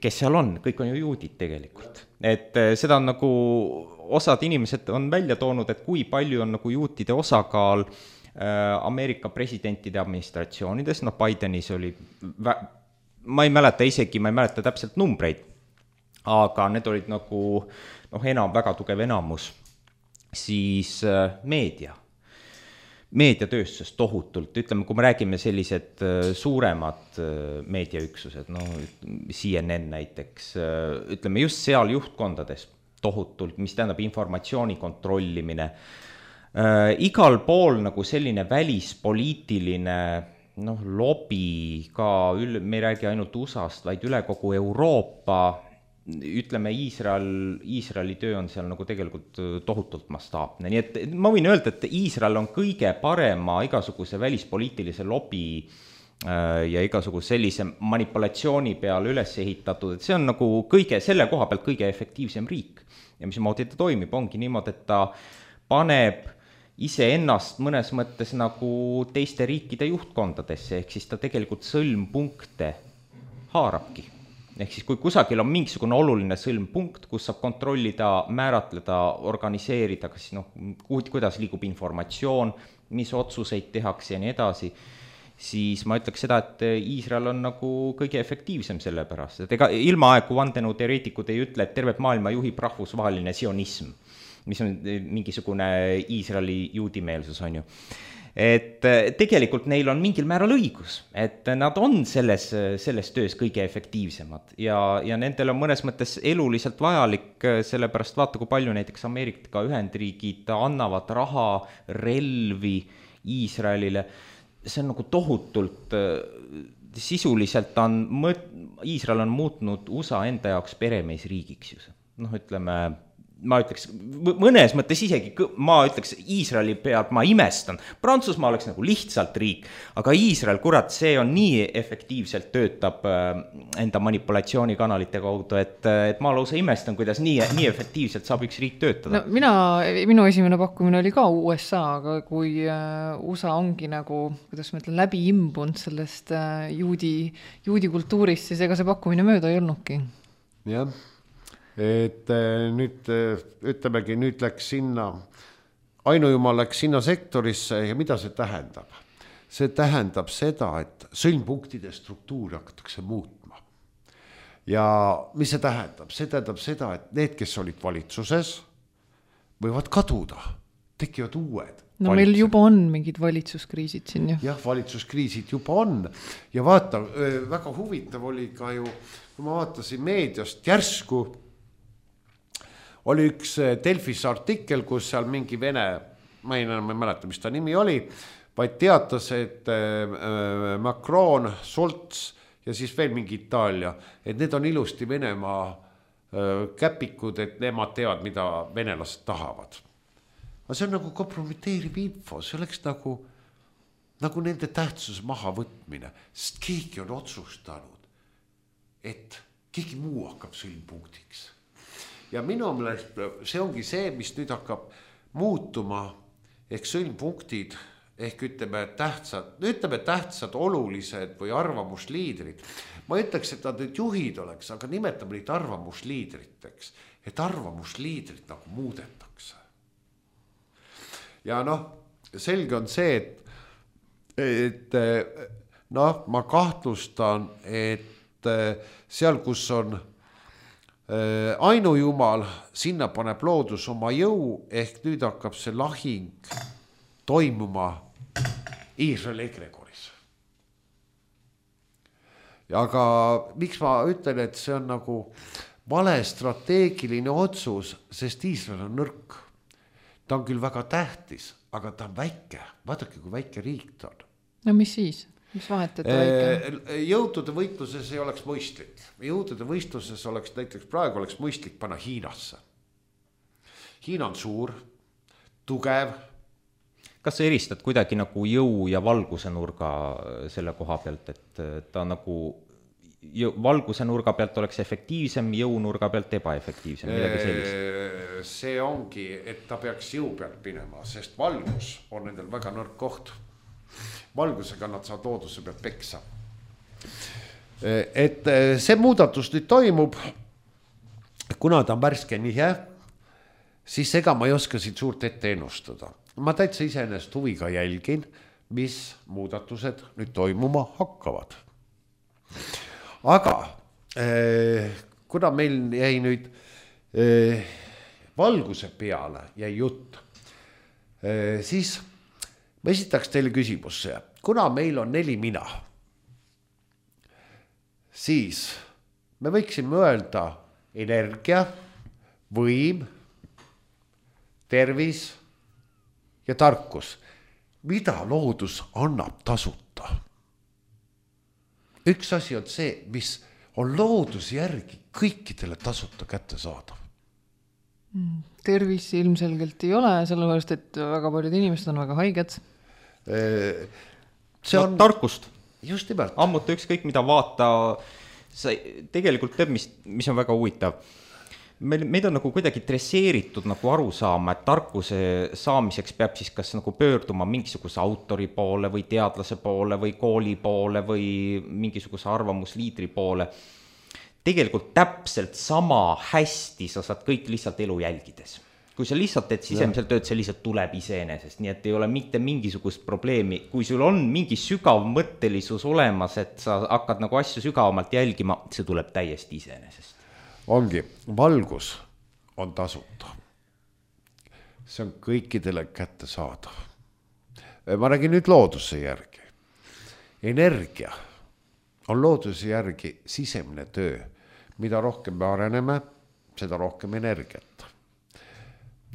kes seal on, kõik on ju juudid tegelikult. Et seda on nagu, osad inimesed on välja toonud, et kui palju on nagu juutide osakaal Ameerika presidentide administratsioonides, noh Bidenis oli, ma ei mäleta isegi, ma ei mäleta täpselt numbreid, aga need olid nagu noh, enam väga tugev enamus, siis meedia, meediatööstus tohutult, ütleme, kui me räägime sellised suuremad meediaüksused, no C N N näiteks, ütleme just seal juhtkondades tohutult, mis tähendab informatsiooni kontrollimine, igal pool nagu selline välispoliitiline noh, lobi ka, me ei räägi ainult U S A-st, vaid üle kogu Euroopa, ütleme, Iisrael, Iisraeli töö on seal nagu tegelikult tohutult mastaapne. Nii et ma võin öelda, et Iisrael on kõige parema igasuguse välispoliitilise lobi ja igasuguse sellise manipulatsiooni peale üles ehitatud, et see on nagu kõige, selle koha pealt kõige efektiivsem riik. Ja mis moodi ta toimib, ongi niimoodi, et ta paneb ise ennast mõnes mõttes nagu teiste riikide juhtkondadesse, ehk siis ta tegelikult sõlmpunkte haarabki. Ehk siis kui kusagil on mingisugune oluline sõlmpunkt, kus saab kontrollida, määratleda, organiseerida, kas noh, kuidas liigub informatsioon, mis otsuseid tehakse ja nii edasi, siis ma ütleks seda, et Iisrael on nagu kõige efektiivsem selle pärast. Et ega ilma aegu vandenu teoreetikud ei ütle, et tervet maailma juhib rahvusvaheline sionism, mis on mingisugune Iisraeli juudimeelsus on ju. Et tegelikult neil on mingil määral õigus, et nad on selles, selles töös kõige efektiivsemad ja, ja nendel on mõnes mõttes eluliselt vajalik, sellepärast vaata, kui palju näiteks Ameerika Ühendriigid annavad raha, relvi Iisraelile, see on nagu tohutult, sisuliselt on, Iisrael on muutnud U S A enda jaoks peremeisriigiks ju, noh ütleme, ma ütleks, mõnes mõttes isegi, ma ütleks Iisraeli pealt, ma imestan, Prantsusmaa oleks nagu lihtsalt riik, aga Iisrael, kurat, see on nii efektiivselt töötab enda manipulatsioonikanalite kaudu, et, et ma lausa imestan, kuidas nii, nii efektiivselt saab üks riik töötada. No, mina, minu esimene pakkumine oli ka U S A, aga kui U S A ongi nagu, kuidas ma ütlen, läbi imbunud sellest juudi, juudi kultuurist, siis ega see pakkumine mööda ei olnudki. Jah. Et nüüd ütlemegi, nüüd läks sinna, ainujumal läks sinna sektorisse ja mida see tähendab? See tähendab seda, et sõlmpunktide struktuuri hakatakse muutma. Ja mis see tähendab? See tähendab seda, et need, kes olid valitsuses, võivad kaduda, tekivad uued. No meil juba on mingid valitsuskriisid siin ju. Jah, valitsuskriisid juba on. Ja vaata, väga huvitav oli ka ju, kui ma vaatasin meediast järsku, oli üks Delfis artikkel, kus seal mingi vene, ma ei, ma ei mäleta, mis ta nimi oli, vaid teatas, et Macron, Scholz ja siis veel mingi Itaalia, et need on ilusti Venemaa öö, käpikud, et nemad teavad, mida venelased tahavad. Aga see on nagu kompromiteeriv info, see oleks nagu, nagu nende tähtsuse maha võtmine, sest keegi on otsustanud, et keegi muu hakkab sõlmpunktiks. Ja minu meelest see ongi see, mis nüüd hakkab muutuma, ehk sõlmpunktid, ehk ütleme tähtsad, ütleme tähtsad, olulised või arvamusliidrid. Ma ütleks, et nad nüüd juhid oleks, aga nimetame neid arvamusliidriteks, et arvamusliidrid nagu muudetakse. Ja noh, selge on see, et, et noh, ma kahtlustan, et seal, kus on ainujumal, sinna paneb loodus oma jõu, ehk nüüd hakkab see lahing toimuma Iisraeli egregoris. Aga miks ma ütlen, et see on nagu vale strateegiline otsus, sest Iisrael on nõrk. Ta on küll väga tähtis, aga ta on väike. Vaadake, kui väike riik ta on. No mis siis? Mis vahet, et ta väike? Jõudude võitluses ei oleks mõistlik. Jõudude võistluses oleks näiteks praegu oleks mõistlik panna Hiinasse. Hiina on suur, tugev. Kas sa eristad kuidagi nagu jõu ja valguse nurga selle koha pealt, et ta nagu jõu, valguse nurga pealt oleks efektiivsem, jõu nurga pealt ebaefektiivsem, midagi sellist? See ongi, et ta peaks jõu pealt minema, sest valgus on nendel väga nõrk koht. Valgusega nad saavad looduse pealt peksa. Et see muudatus nüüd toimub, kuna ta on värske nihe, siis ega ma ei oska siit suurt ette ennustada. Ma täitsa iseenesest huviga jälgin, mis muudatused nüüd toimuma hakkavad. Aga kuna meil jäi nüüd valguse peale jäi jutt, siis ma esitaks teile küsimusse. Kuna meil on neli mina, siis me võiksime öelda energia, võim, tervis ja tarkus. Mida loodus annab tasuta? Üks asi on see, mis on looduse järgi kõikidele tasuta kätte saadav. Tervis ilmselgelt ei ole, sellepärast, et väga paljud inimesed on väga haiged. See on no, tarkust. Just nimelt. Ammuta ükskõik, mida vaata, sa tegelikult tead, mis, mis on väga huvitav. Meil, meid on nagu kuidagi dresseeritud nagu aru saama, et tarkuse saamiseks peab siis kas nagu pöörduma mingisuguse autori poole või teadlase poole või kooli poole või mingisuguse arvamusliidri poole. Tegelikult täpselt sama hästi sa saad kõik lihtsalt elu jälgides. Kui sa lihtsalt teed sisemiselt tööd, see lihtsalt tuleb iseenesest, nii et ei ole mitte mingisugust probleemi. Kui sul on mingi sügav mõttelisus olemas, et sa hakkad nagu asju sügavamalt jälgima, see tuleb täiesti iseenesest. Ongi, valgus on tasuta. See on kõikidele kätte saadav. Ma räägin nüüd looduse järgi. Energia on looduse järgi sisemine töö. Mida rohkem me areneme, seda rohkem energiat.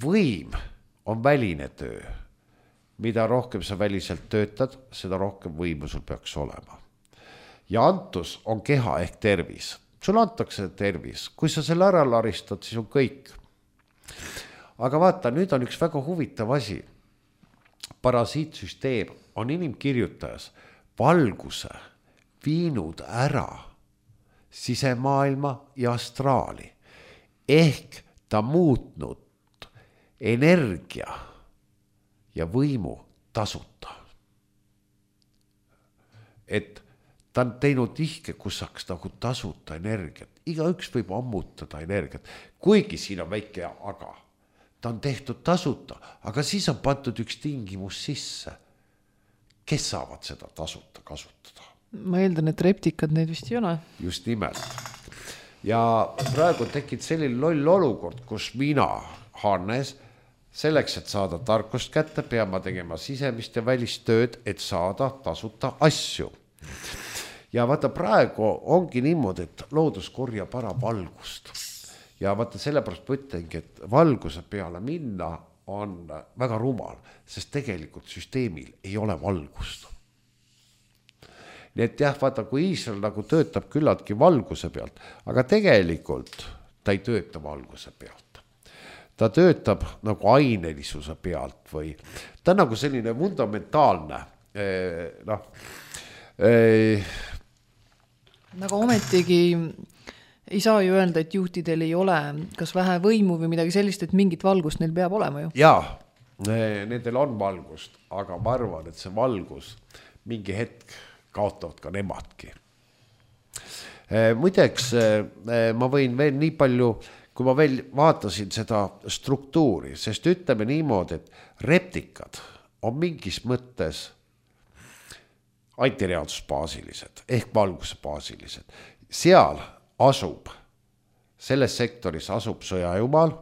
Võim on väline töö. Mida rohkem sa väliselt töötad, seda rohkem võimu sul peaks olema. Ja antus on keha ehk tervis. Sul antakse tervis. Kui sa selle ära laristad, siis on kõik. Aga vaata, nüüd on üks väga huvitav asi. Parasiitsüsteem on inimkirjutajas valguse viinud ära sisemaailma ja astraali. Ehk ta muutnud energia ja võimu tasuta. Et ta on teinud ihke, kus saaks nagu tasuta energiat. Iga üks võib ammutada energiat, kuigi siin on väike aga. Ta on tehtud tasuta, aga siis on pandud üks tingimus sisse. Kes saavad seda tasuta kasutada? Ma eeldan, et reptikad neid vist ei ole. Just nimelt. Ja praegu tekib selline loll olukord, kus mina, Hannes, selleks, et saada tarkust kätte, peame tegema sisemist ja välist tööd, et saada tasuta asju. Ja vaata, praegu ongi niimoodi, et loodus korjab ära valgust. Ja vaata, sellepärast mõtlengi, et valguse peale minna on väga rumal, sest tegelikult süsteemil ei ole valgust. nii et jah, vaata, kui Iisrael nagu töötab küllaltki valguse pealt, aga tegelikult ta ei tööta valguse pealt. Ta töötab nagu ainelisuse pealt või ta on nagu selline fundamentaalne, noh, nagu ometigi ei saa ju öelda, et juhtidel ei ole kas vähe võimu või midagi sellist, et mingit valgust neil peab olema ju. Jaa, nendel on valgust, aga ma arvan, et see valgus mingi hetk kaotavad ka nemadki. Muideks ma võin veel nii palju, kui ma veel vaatasin seda struktuuri, sest ütleme niimoodi, et reptikad on mingis mõttes antireaalsusbaasilised ehk valgusbaasilised. Seal asub, selles sektoris asub sõjajumal,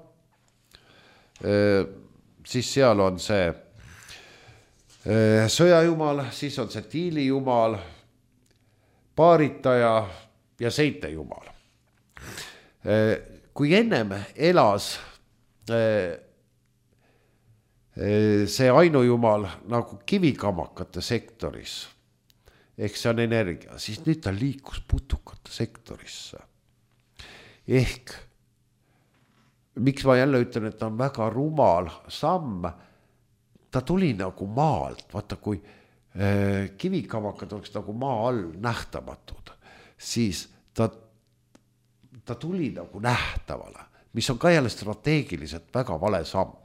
siis seal on see sõjajumal, siis on see tiilijumal, paaritaja ja seitejumal. Kui ennem elas see ainujumal nagu kivikamakate sektoris, ehk see on energia, siis nüüd ta liikus putukate sektorisse. Ehk, miks ma jälle ütlen, et ta on väga rumal samm, ta tuli nagu maalt, vaata kui äh, kivikamakad oleks nagu maa all nähtamatud, siis ta, ta tuli nagu nähtavale, mis on ka jälle strateegiliselt väga vale samm.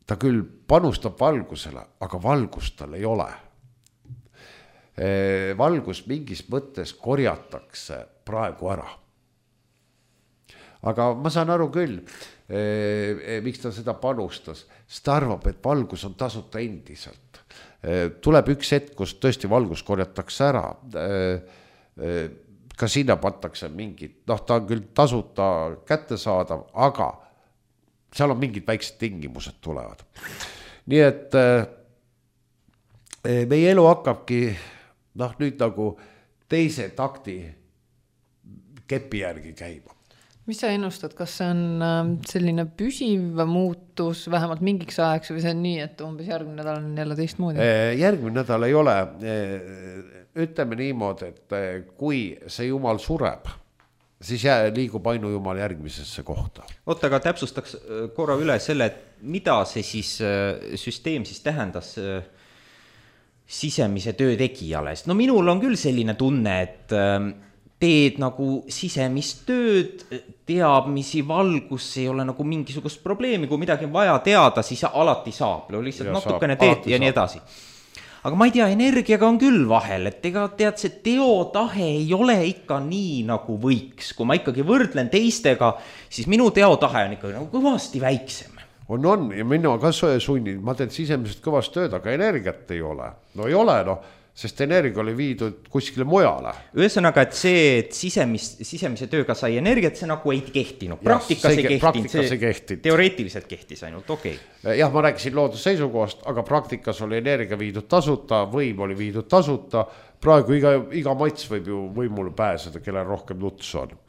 Ta küll panustab valgusele, aga valgust tal ei ole. Valgus mingis mõttes korjatakse praegu ära. Aga ma saan aru küll, miks ta seda panustas. Sest ta arvab, et valgus on tasuta endiselt. Tuleb üks hetk, kus tõesti valgus korjatakse ära. Ka sinna patakse mingid, noh ta on küll tasuta kättesaadav, aga seal on mingid väiksed tingimused tulevad. Nii et meie elu hakkabki noh, nüüd nagu teise takti kepi järgi käima. Mis sa ennustad, kas see on selline püsiv muutus vähemalt mingiks ajaks või see on nii, et umbes järgmine nädal on jälle teistmoodi? Järgmine nädal ei ole. Ütleme niimoodi, et kui see jumal sureb, siis jää, liigub ainujumal järgmisesse kohta. Oota, aga täpsustaks korra üle selle, et mida see siis süsteem siis tähendas sisemise töö tegijale. No minul on küll selline tunne, et teed nagu sisemist tööd, teadmisi, valgus, ei ole nagu mingisugust probleemi, kui midagi on vaja teada, siis alati saab, lihtsalt ja natukene saab, teed ja nii edasi. Aga ma ei tea, energiaga on küll vahel, et ega tead, see teotahe ei ole ikka nii nagu võiks. Kui ma ikkagi võrdlen teistega, siis minu teotahe on ikka nagu kõvasti väiksem. On, on, ja mina ka sunnin, ma teen sisemisest kõvast tööd, aga energiat ei ole. No ei ole, noh, sest energia oli viidud kuskile mujale. Ühesõnaga, et see, et sisemis, sisemise tööga sai energiat, see nagu ei kehtinud. Praktikas ei kehtinud, praktikas ei kehtinud. Teoreetiliselt kehtis ainult, okei. Okay. Jah, ma rääkisin loodusseisukohast, aga praktikas oli energia viidud tasuta, võim oli viidud tasuta. Praegu iga, iga mats võib ju võimule pääseda, kellel rohkem nutsu on.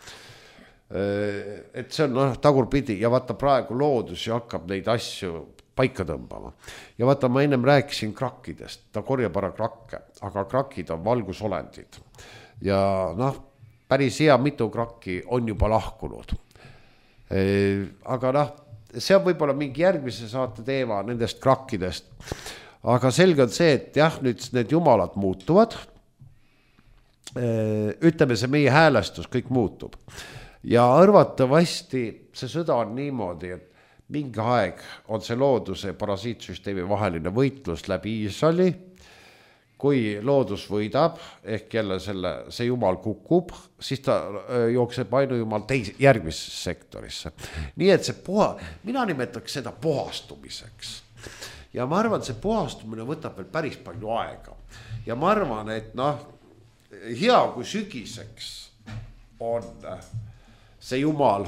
Et see on no, tagurpidi ja vaata praegu loodus ja hakkab neid asju paika tõmbama. Ja vaata, ma ennem rääkisin krakkidest, ta korjab ära krakke, aga krakid on valgusolendid. Ja noh, päris hea mitu krakki on juba lahkunud. Aga noh, see on võib-olla mingi järgmise saate teema nendest krakkidest. Aga selge on see, et jah, nüüd need jumalad muutuvad. Ütleme, see meie häälestus kõik muutub. Ja arvatavasti see sõda on niimoodi, et mingi aeg on see looduse parasiitsüsteemi vaheline võitlus läbi Iisraeli. Kui loodus võidab, ehk jälle selle, see jumal kukub, siis ta jookseb ainujumal teis, järgmisesse sektorisse. Nii et see puha, mina nimetaks seda puhastumiseks. Ja ma arvan, see puhastumine võtab veel päris palju aega. Ja ma arvan, et noh, hea kui sügiseks on see jumal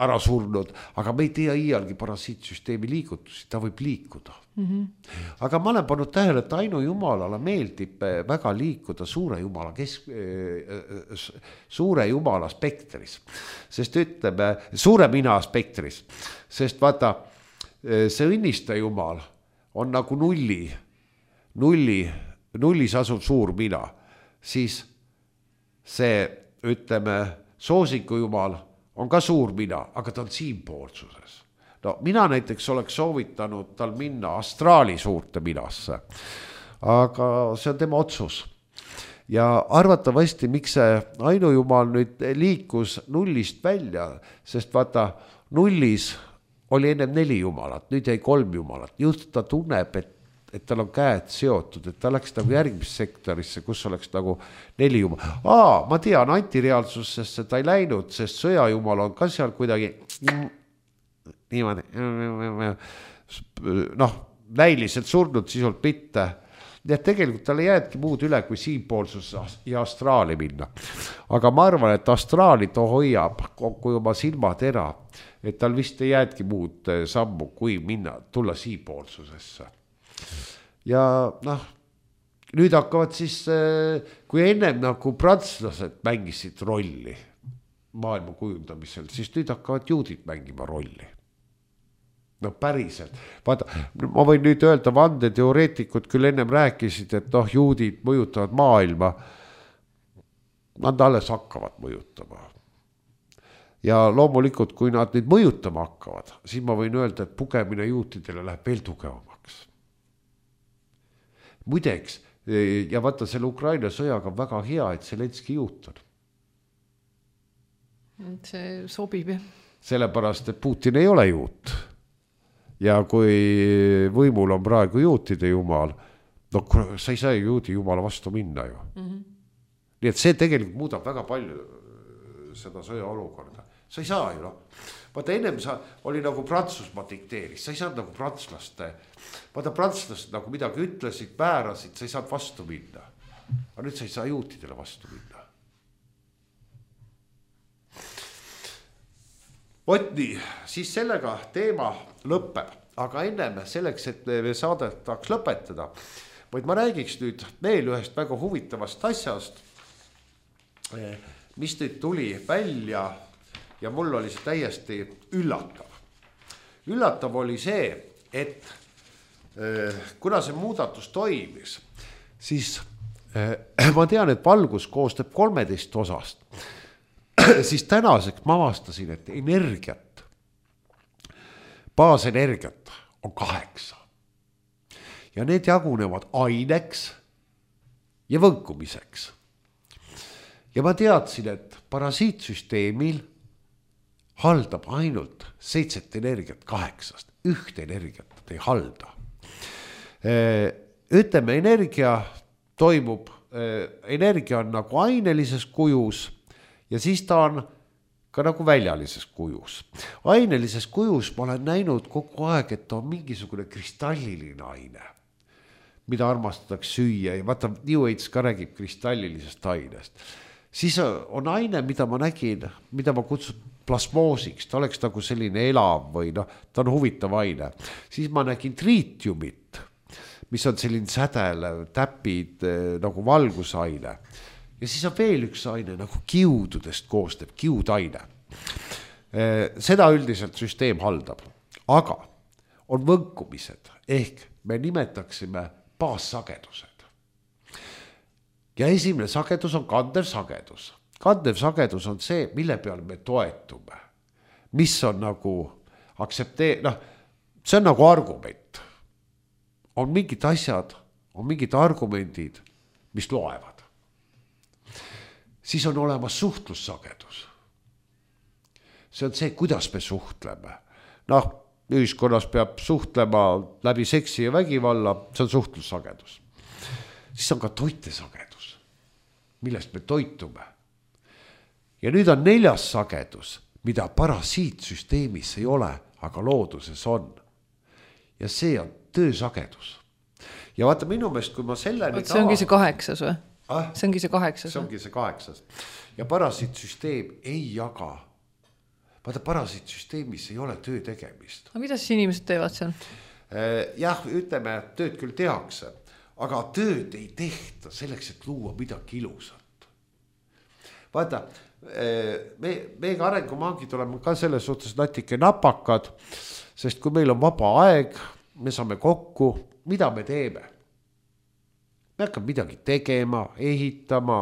ära surnud, aga me ei tea iialgi parasiitsüsteemi liigutusi, ta võib liikuda. Mm-hmm. Aga ma olen pannud tähele, et ainu jumalale meeldib väga liikuda suure jumala, kesk, suure jumala spektris, sest ütleme, suure mina spektris, sest vaata, see õnnista jumal on nagu nulli, nulli, nullis asuv suur mina, siis see, ütleme, soosikujumal on ka suur mina, aga ta on siinpoolsuses. No mina näiteks oleks soovitanud tal minna astraali suurte minasse, aga see on tema otsus. Ja arvatavasti, miks see ainujumal nüüd liikus nullist välja, sest vaata, nullis oli ennem neli jumalat, nüüd jäi kolm jumalat. Just ta tunneb, et, et tal on käed seotud, et ta läks nagu järgmisse sektorisse, kus oleks nagu neli jumalat. Aa, ma tean, antireaalsusesse ta ei läinud, sest sõjajumal on ka seal kuidagi niimoodi, noh, näiliselt surnud, sisult mitte. Nii et tegelikult tal ei jäädki muud üle, kui siinpoolsus ja astraali minna. Aga ma arvan, et astraali ta hoiab kui oma silmad era, et tal vist ei jäädki muud sammu, kui minna, tulla siinpoolsusesse. Ja noh, nüüd hakkavad siis, kui ennem nagu prantslased mängisid rolli maailma kujundamisel, siis nüüd hakkavad juudid mängima rolli. No päriselt. Vaata, ma võin nüüd öelda, vandeteoreetikud küll ennem rääkisid, et noh, juudid mõjutavad maailma. Nad alles hakkavad mõjutama. Ja loomulikult, kui nad nüüd mõjutama hakkavad, siis ma võin öelda, et pugemine juutidele läheb veel tugevamaks. Muideks, ja vaata selle Ukraina sõjaga on väga hea, et Zelenski juut on. See sobib, jah. Sellepärast, et Putin ei ole juut. Ja kui võimul on praegu juutide jumal, no sa ei saa juudi jumala vastu minna ju. Mm-hmm. Nii et see tegelikult muudab väga palju seda sõja olukorda. Sa ei saa ju, no. Vaata ennem sa oli nagu Prantsusmaa dikteeris, sa ei saanud nagu prantslaste, vaata prantslased nagu midagi ütlesid, määrasid, sa ei saanud vastu minna. Aga nüüd sa ei saa juutidele vastu minna. Vot nii, siis sellega teema lõpeb, aga ennem selleks, et me saadet tahaks lõpetada, vaid ma räägiks nüüd veel ühest väga huvitavast asjast, mis nüüd tuli välja ja mul oli see täiesti üllatav. Üllatav oli see, et kuna see muudatus toimis, siis ma tean, et valgus koostab kolmeteist osast. Siis tänaseks ma avastasin, et energiat, baasenergiat on kaheksa. Ja need jagunevad aineks ja võnkumiseks. Ja ma teadsin, et parasiitsüsteemil haldab ainult seitset energiat kaheksast. Ühte energiat ei halda. Ütleme, energia toimub, energia on nagu ainelises kujus, ja siis ta on ka nagu väljalises kujus. Ainelises kujus ma olen näinud kogu aeg, et on mingisugune kristalliline aine, mida armastatakse süüa. Ja vaata, New Age ka räägib kristallilisest ainest. Siis on aine, mida ma nägin, mida ma kutsun plasmoosiks. Ta oleks nagu selline elav või noh, ta on huvitav aine. Siis ma nägin triitiumit, mis on selline sädel, täpid nagu valgusaine. Ja siis on veel üks aine nagu kiududest koostab, kiudaine. Seda üldiselt süsteem haldab. Aga on võnkumised, ehk me nimetaksime baassagedused. Ja esimene sagedus on kandev sagedus. Kandev sagedus on see, mille peale me toetume. Mis on nagu aktseptee-, noh, see on nagu argument. On mingid asjad, on mingid argumendid, mis loevad. Siis on olemas suhtlussagedus. See on see, kuidas me suhtleme. Noh, ühiskonnas peab suhtlema läbi seksi ja vägivalla, see on suhtlussagedus. Siis on ka toitesagedus, millest me toitume. Ja nüüd on neljas sagedus, mida parasiitsüsteemis ei ole, aga looduses on. Ja see on töösagedus. Ja vaata minu meelest, kui ma selle... See ongi see kaheksas või? Ah? See ongi see kaheksas. See ongi see kaheksas. Ja parasiitsüsteem ei jaga. Vaata, parasiitsüsteemis ei ole töö tegemist. Aga mida siis inimesed teevad seal? Jah, ütleme, tööd küll tehakse, aga tööd ei tehta selleks, et luua midagi ilusat. Vaata, me, meiega arengumaangid oleme ka selles suhtes natuke napakad, sest kui meil on vaba aeg, me saame kokku, mida me teeme? me hakkame midagi tegema, ehitama,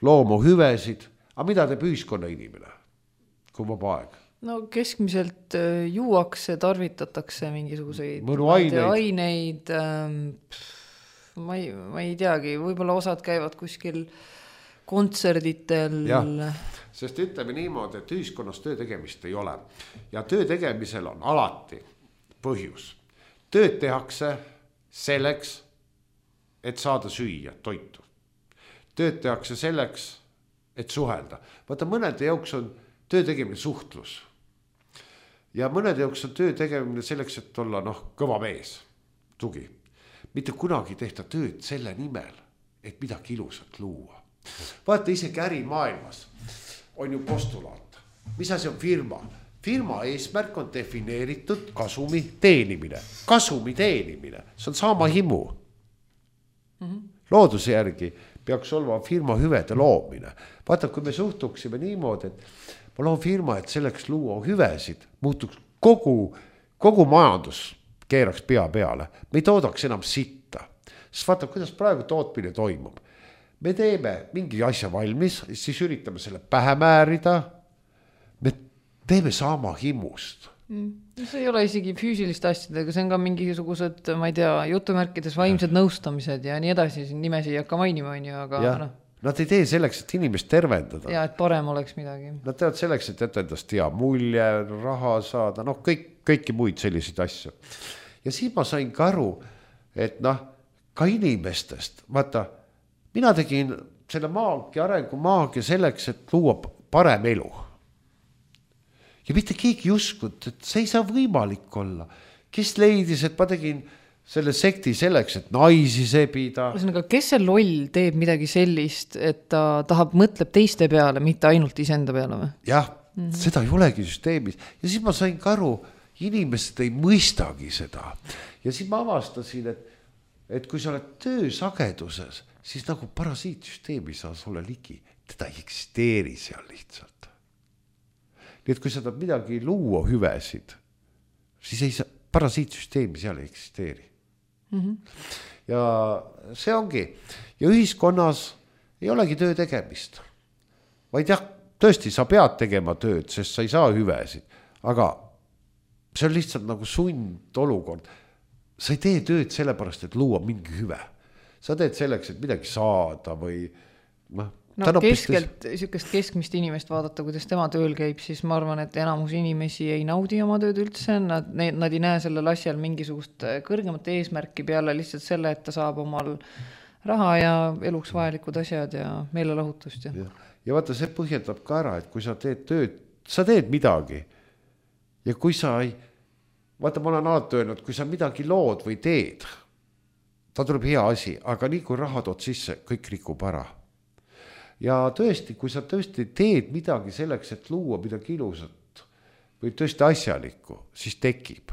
looma hüvesid, aga mida teeb ühiskonna inimene, kui vaba aeg? No keskmiselt juuakse, tarvitatakse mingisuguseid mõnuaineid. aineid, ma ei, ma ei teagi, võib-olla osad käivad kuskil kontserditel. Jah, sest ütleme niimoodi, et ühiskonnas töö tegemist ei ole ja töö tegemisel on alati põhjus. Tööd tehakse selleks, et saada süüa, toitu. Tööd tehakse selleks, et suhelda. Vaata, mõnede jauks on töö tegemine suhtlus. Ja mõnede jauks on töö tegemine selleks, et olla noh, kõva mees, tugi. Mitte kunagi tehta tööd selle nimel, et midagi ilusat luua. Vaata, isegi ärimaailmas on ju postulaat. Mis asi on firma? Firma eesmärk on defineeritud kasumi teenimine. Kasumi teenimine, see on sama himu. Mm-hmm. Looduse järgi peaks olema firma hüvede loomine. Vaata, kui me suhtuksime niimoodi, et ma loon firma, et selleks luua hüvesid, muutuks kogu, kogu majandus keeraks pea peale. Me ei toodaks enam sitta. Sest vaata, kuidas praegu tootmine toimub. Me teeme mingi asja valmis, siis üritame selle pähe määrida. Me teeme sama himust. Mm. See ei ole isegi füüsiliste asjadega, see on ka mingisugused, ma ei tea, jutumärkides vaimsed nõustamised ja nii edasi, siin nimesi ei hakka mainima, aga ja, noh. Nad ei tee selleks, et inimest tervendada. Ja, et parem oleks midagi. Nad teevad selleks, et jätta endast hea mulje, raha saada, noh, kõik, kõiki muid selliseid asju. Ja siis ma sain ka aru, et noh, ka inimestest, vaata, mina tegin selle maagia, arengu maagia selleks, et luua parem elu. Ja mitte keegi uskud, et see ei saa võimalik olla. Kes leidis, et ma tegin selle sekti selleks, et naisi sebida. Kes see loll teeb midagi sellist, et ta tahab, mõtleb teiste peale, mitte ainult iseenda peale või? Jah, mm-hmm. Seda ei olegi süsteemis. Ja siis ma sain ka aru, inimesed ei mõistagi seda. Ja siis ma avastasin, et, et kui sa oled töösageduses, siis nagu parasiitsüsteemi saa sulle ligi. Teda ei eksisteeri seal lihtsalt. Nii et kui sa tahad midagi luua hüvesid, siis ei saa, parasiitsüsteemi seal ei eksisteeri. Mm-hmm. Ja see ongi. Ja ühiskonnas ei olegi töö tegemist. Vaid jah, tõesti, sa pead tegema tööd, sest sa ei saa hüvesid. Aga see on lihtsalt nagu sund olukord. Sa ei tee tööd sellepärast, et luua mingi hüve. Sa teed selleks, et midagi saada või noh. No keskelt, sükest keskmist inimest vaadata, kuidas tema tööl käib, siis ma arvan, et enamus inimesi ei naudi oma tööd üldse. Nad, nad ei näe sellel asjal mingisugust kõrgemat eesmärki peale lihtsalt selle, et ta saab omal raha ja eluks vajalikud asjad ja meelelahutust. Ja, ja, ja vaata, see põhjendab ka ära, et kui sa teed tööd, sa teed midagi ja kui sa ei, vaata, ma olen alati öelnud, kui sa midagi lood või teed, ta tuleb hea asi, aga nii kui raha tood sisse, kõik rikub ära. Ja tõesti, kui sa tõesti teed midagi selleks, et luua midagi ilusat või tõesti asjalikku, siis tekib.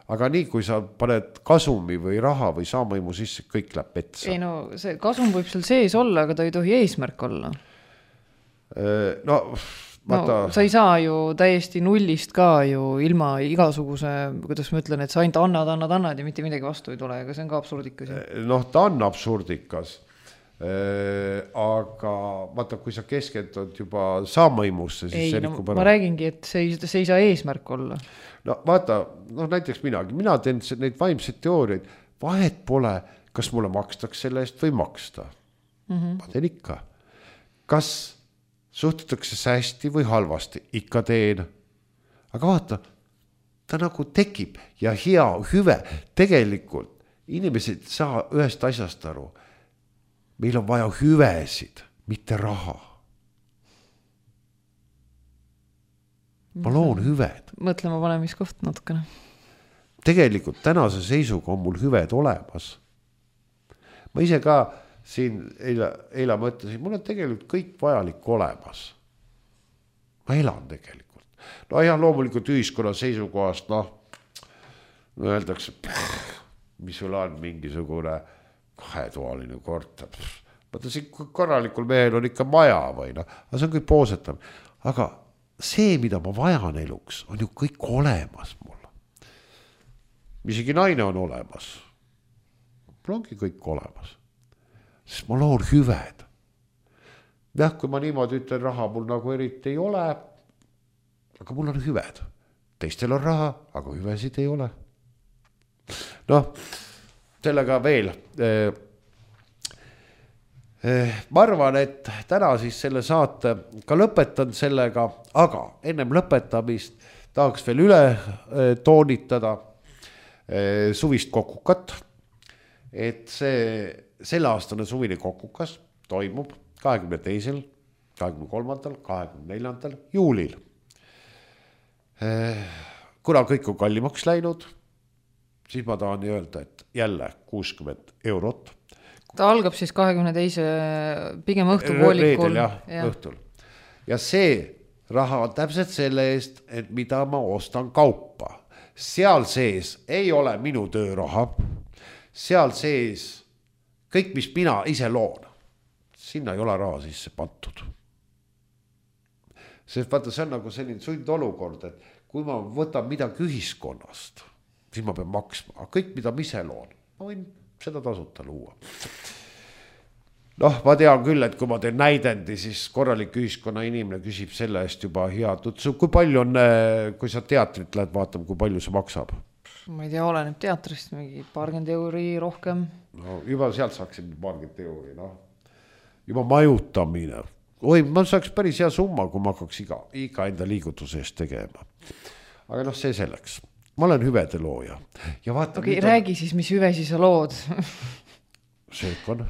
Aga nii, kui sa paned kasumi või raha või saamaimu sisse, kõik läheb petsa. Ei no, see kasum võib seal sees olla, aga ta ei tohi eesmärk olla. No, vaata... no sa ei saa ju täiesti nullist ka ju ilma igasuguse, kuidas ma ütlen, et sa ainult annad, annad, annad ja mitte midagi vastu ei tule, aga see on ka absurdikas. Noh, ta on absurdikas. Äh, aga vaata, kui sa keskendud juba saamaimusse, siis ei, see no, rikub ära. Ma räägingi, et see ei, see ei saa eesmärk olla. No vaata, no näiteks minagi, mina teen neid vaimseid teooriaid, vahet pole, kas mulle makstaks selle eest või maksta. Mm-hmm. Ma teen ikka. Kas suhtutakse hästi või halvasti? Ikka teen. Aga vaata, ta nagu tekib ja hea hüve. Tegelikult inimesed saa ühest asjast aru. Meil on vaja hüvesid, mitte raha. Ma loon hüved. Mõtlema panemiskoht natukene. Tegelikult tänase seisuga on mul hüved olemas. Ma ise ka siin eile, eile mõtlesin, mul on tegelikult kõik vajalik olemas. Ma elan tegelikult. No jah, loomulikult ühiskonna seisukohast, noh, öeldakse, mis sul on mingisugune kahetoaline korter. Mõtlen, siin korralikul mehel on ikka maja või noh, aga see on kõik poosetav. Aga see, mida ma vajan eluks, on ju kõik olemas mul. Isegi naine on olemas. mul ongi kõik olemas. Sest ma loon hüved. Jah, kui ma niimoodi ütlen, raha mul nagu eriti ei ole, aga mul on hüved. Teistel on raha, aga hüvesid ei ole. Noh, sellega veel. Eh, eh, ma arvan, et täna siis selle saate ka lõpetan sellega, aga ennem lõpetamist tahaks veel üle eh, toonitada eh, suvist kokukat. Et see selle aastane suvine kokukas toimub kahekümne teisel, kahekümne kolmandal, kahekümne neljandal juulil. Kuna kõik on kallimaks läinud, siis ma tahan öelda, et jälle kuuskümmend eurot. Ta algab siis kahekümne teise pigem õhtupoolikul. Reedel, jah, ja. õhtul. Ja see raha on täpselt selle eest, et mida ma ostan kaupa. Seal sees ei ole minu tööraha. Seal sees kõik, mis mina ise loon. Sinna ei ole raha sisse pantud. Sest vaata, see on nagu selline sundolukord, et kui ma võtan midagi ühiskonnast, siis ma pean maksma. Aga kõik, mida ma ise loon, ma võin seda tasuta luua. Noh, ma tean küll, et kui ma teen näidendi, siis korralik ühiskonna inimene küsib selle eest juba head. Kui palju on, kui sa teatrit lähed vaatama, kui palju see maksab? Ma ei tea, oleneb teatrist, mingi paarkümmend euri rohkem. No, juba sealt saaksin paarkümmend euri, noh. Juba majutamine. Oi, ma saaks päris hea summa, kui ma hakkaks iga, iga enda liigutuse eest tegema. Aga noh, see selleks. Ma olen hüvede looja. Ja vaata, okay, räägi on... siis, mis hüvesi sa lood? Söök on.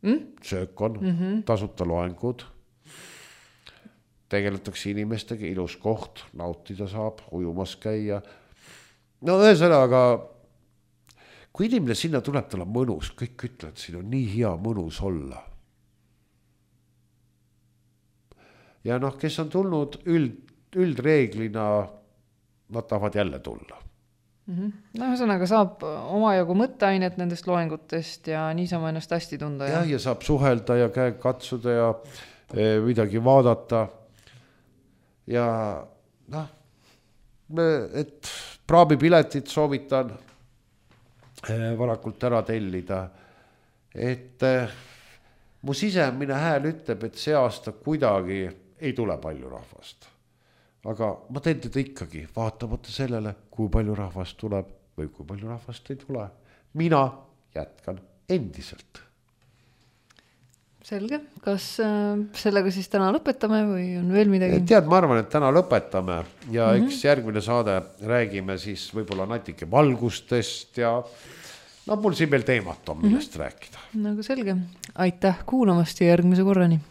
Mm? Söök on. Mm-hmm. Tasuta loengud. Tegeletakse inimestega, ilus koht, nautida saab, ujumas käia. No ühesõnaga, kui inimene sinna tuleb, tal on mõnus, kõik ütlevad, siin on nii hea mõnus olla. Ja noh, kes on tulnud üld, üldreeglina, nad tahavad jälle tulla. Mm-hmm. No ühesõnaga saab omajagu mõtteainet nendest loengutest ja niisama ennast hästi tunda. Ja, ja saab suhelda ja käe katsuda ja e, midagi vaadata. Ja noh, et praamipiletit soovitan varakult ära tellida, et mu sisemine hääl ütleb, et see aasta kuidagi ei tule palju rahvast. Aga ma teen teda ikkagi, vaatamata sellele, kui palju rahvast tuleb või kui palju rahvast ei tule. Mina jätkan endiselt. Selge, kas sellega siis täna lõpetame või on veel midagi? Tead, ma arvan, et täna lõpetame ja mm-hmm. eks järgmine saade räägime siis võib-olla natuke valgustest ja no mul siin veel teemat on, millest mm-hmm. rääkida. Nagu selge. Aitäh kuulamast ja järgmise korrani.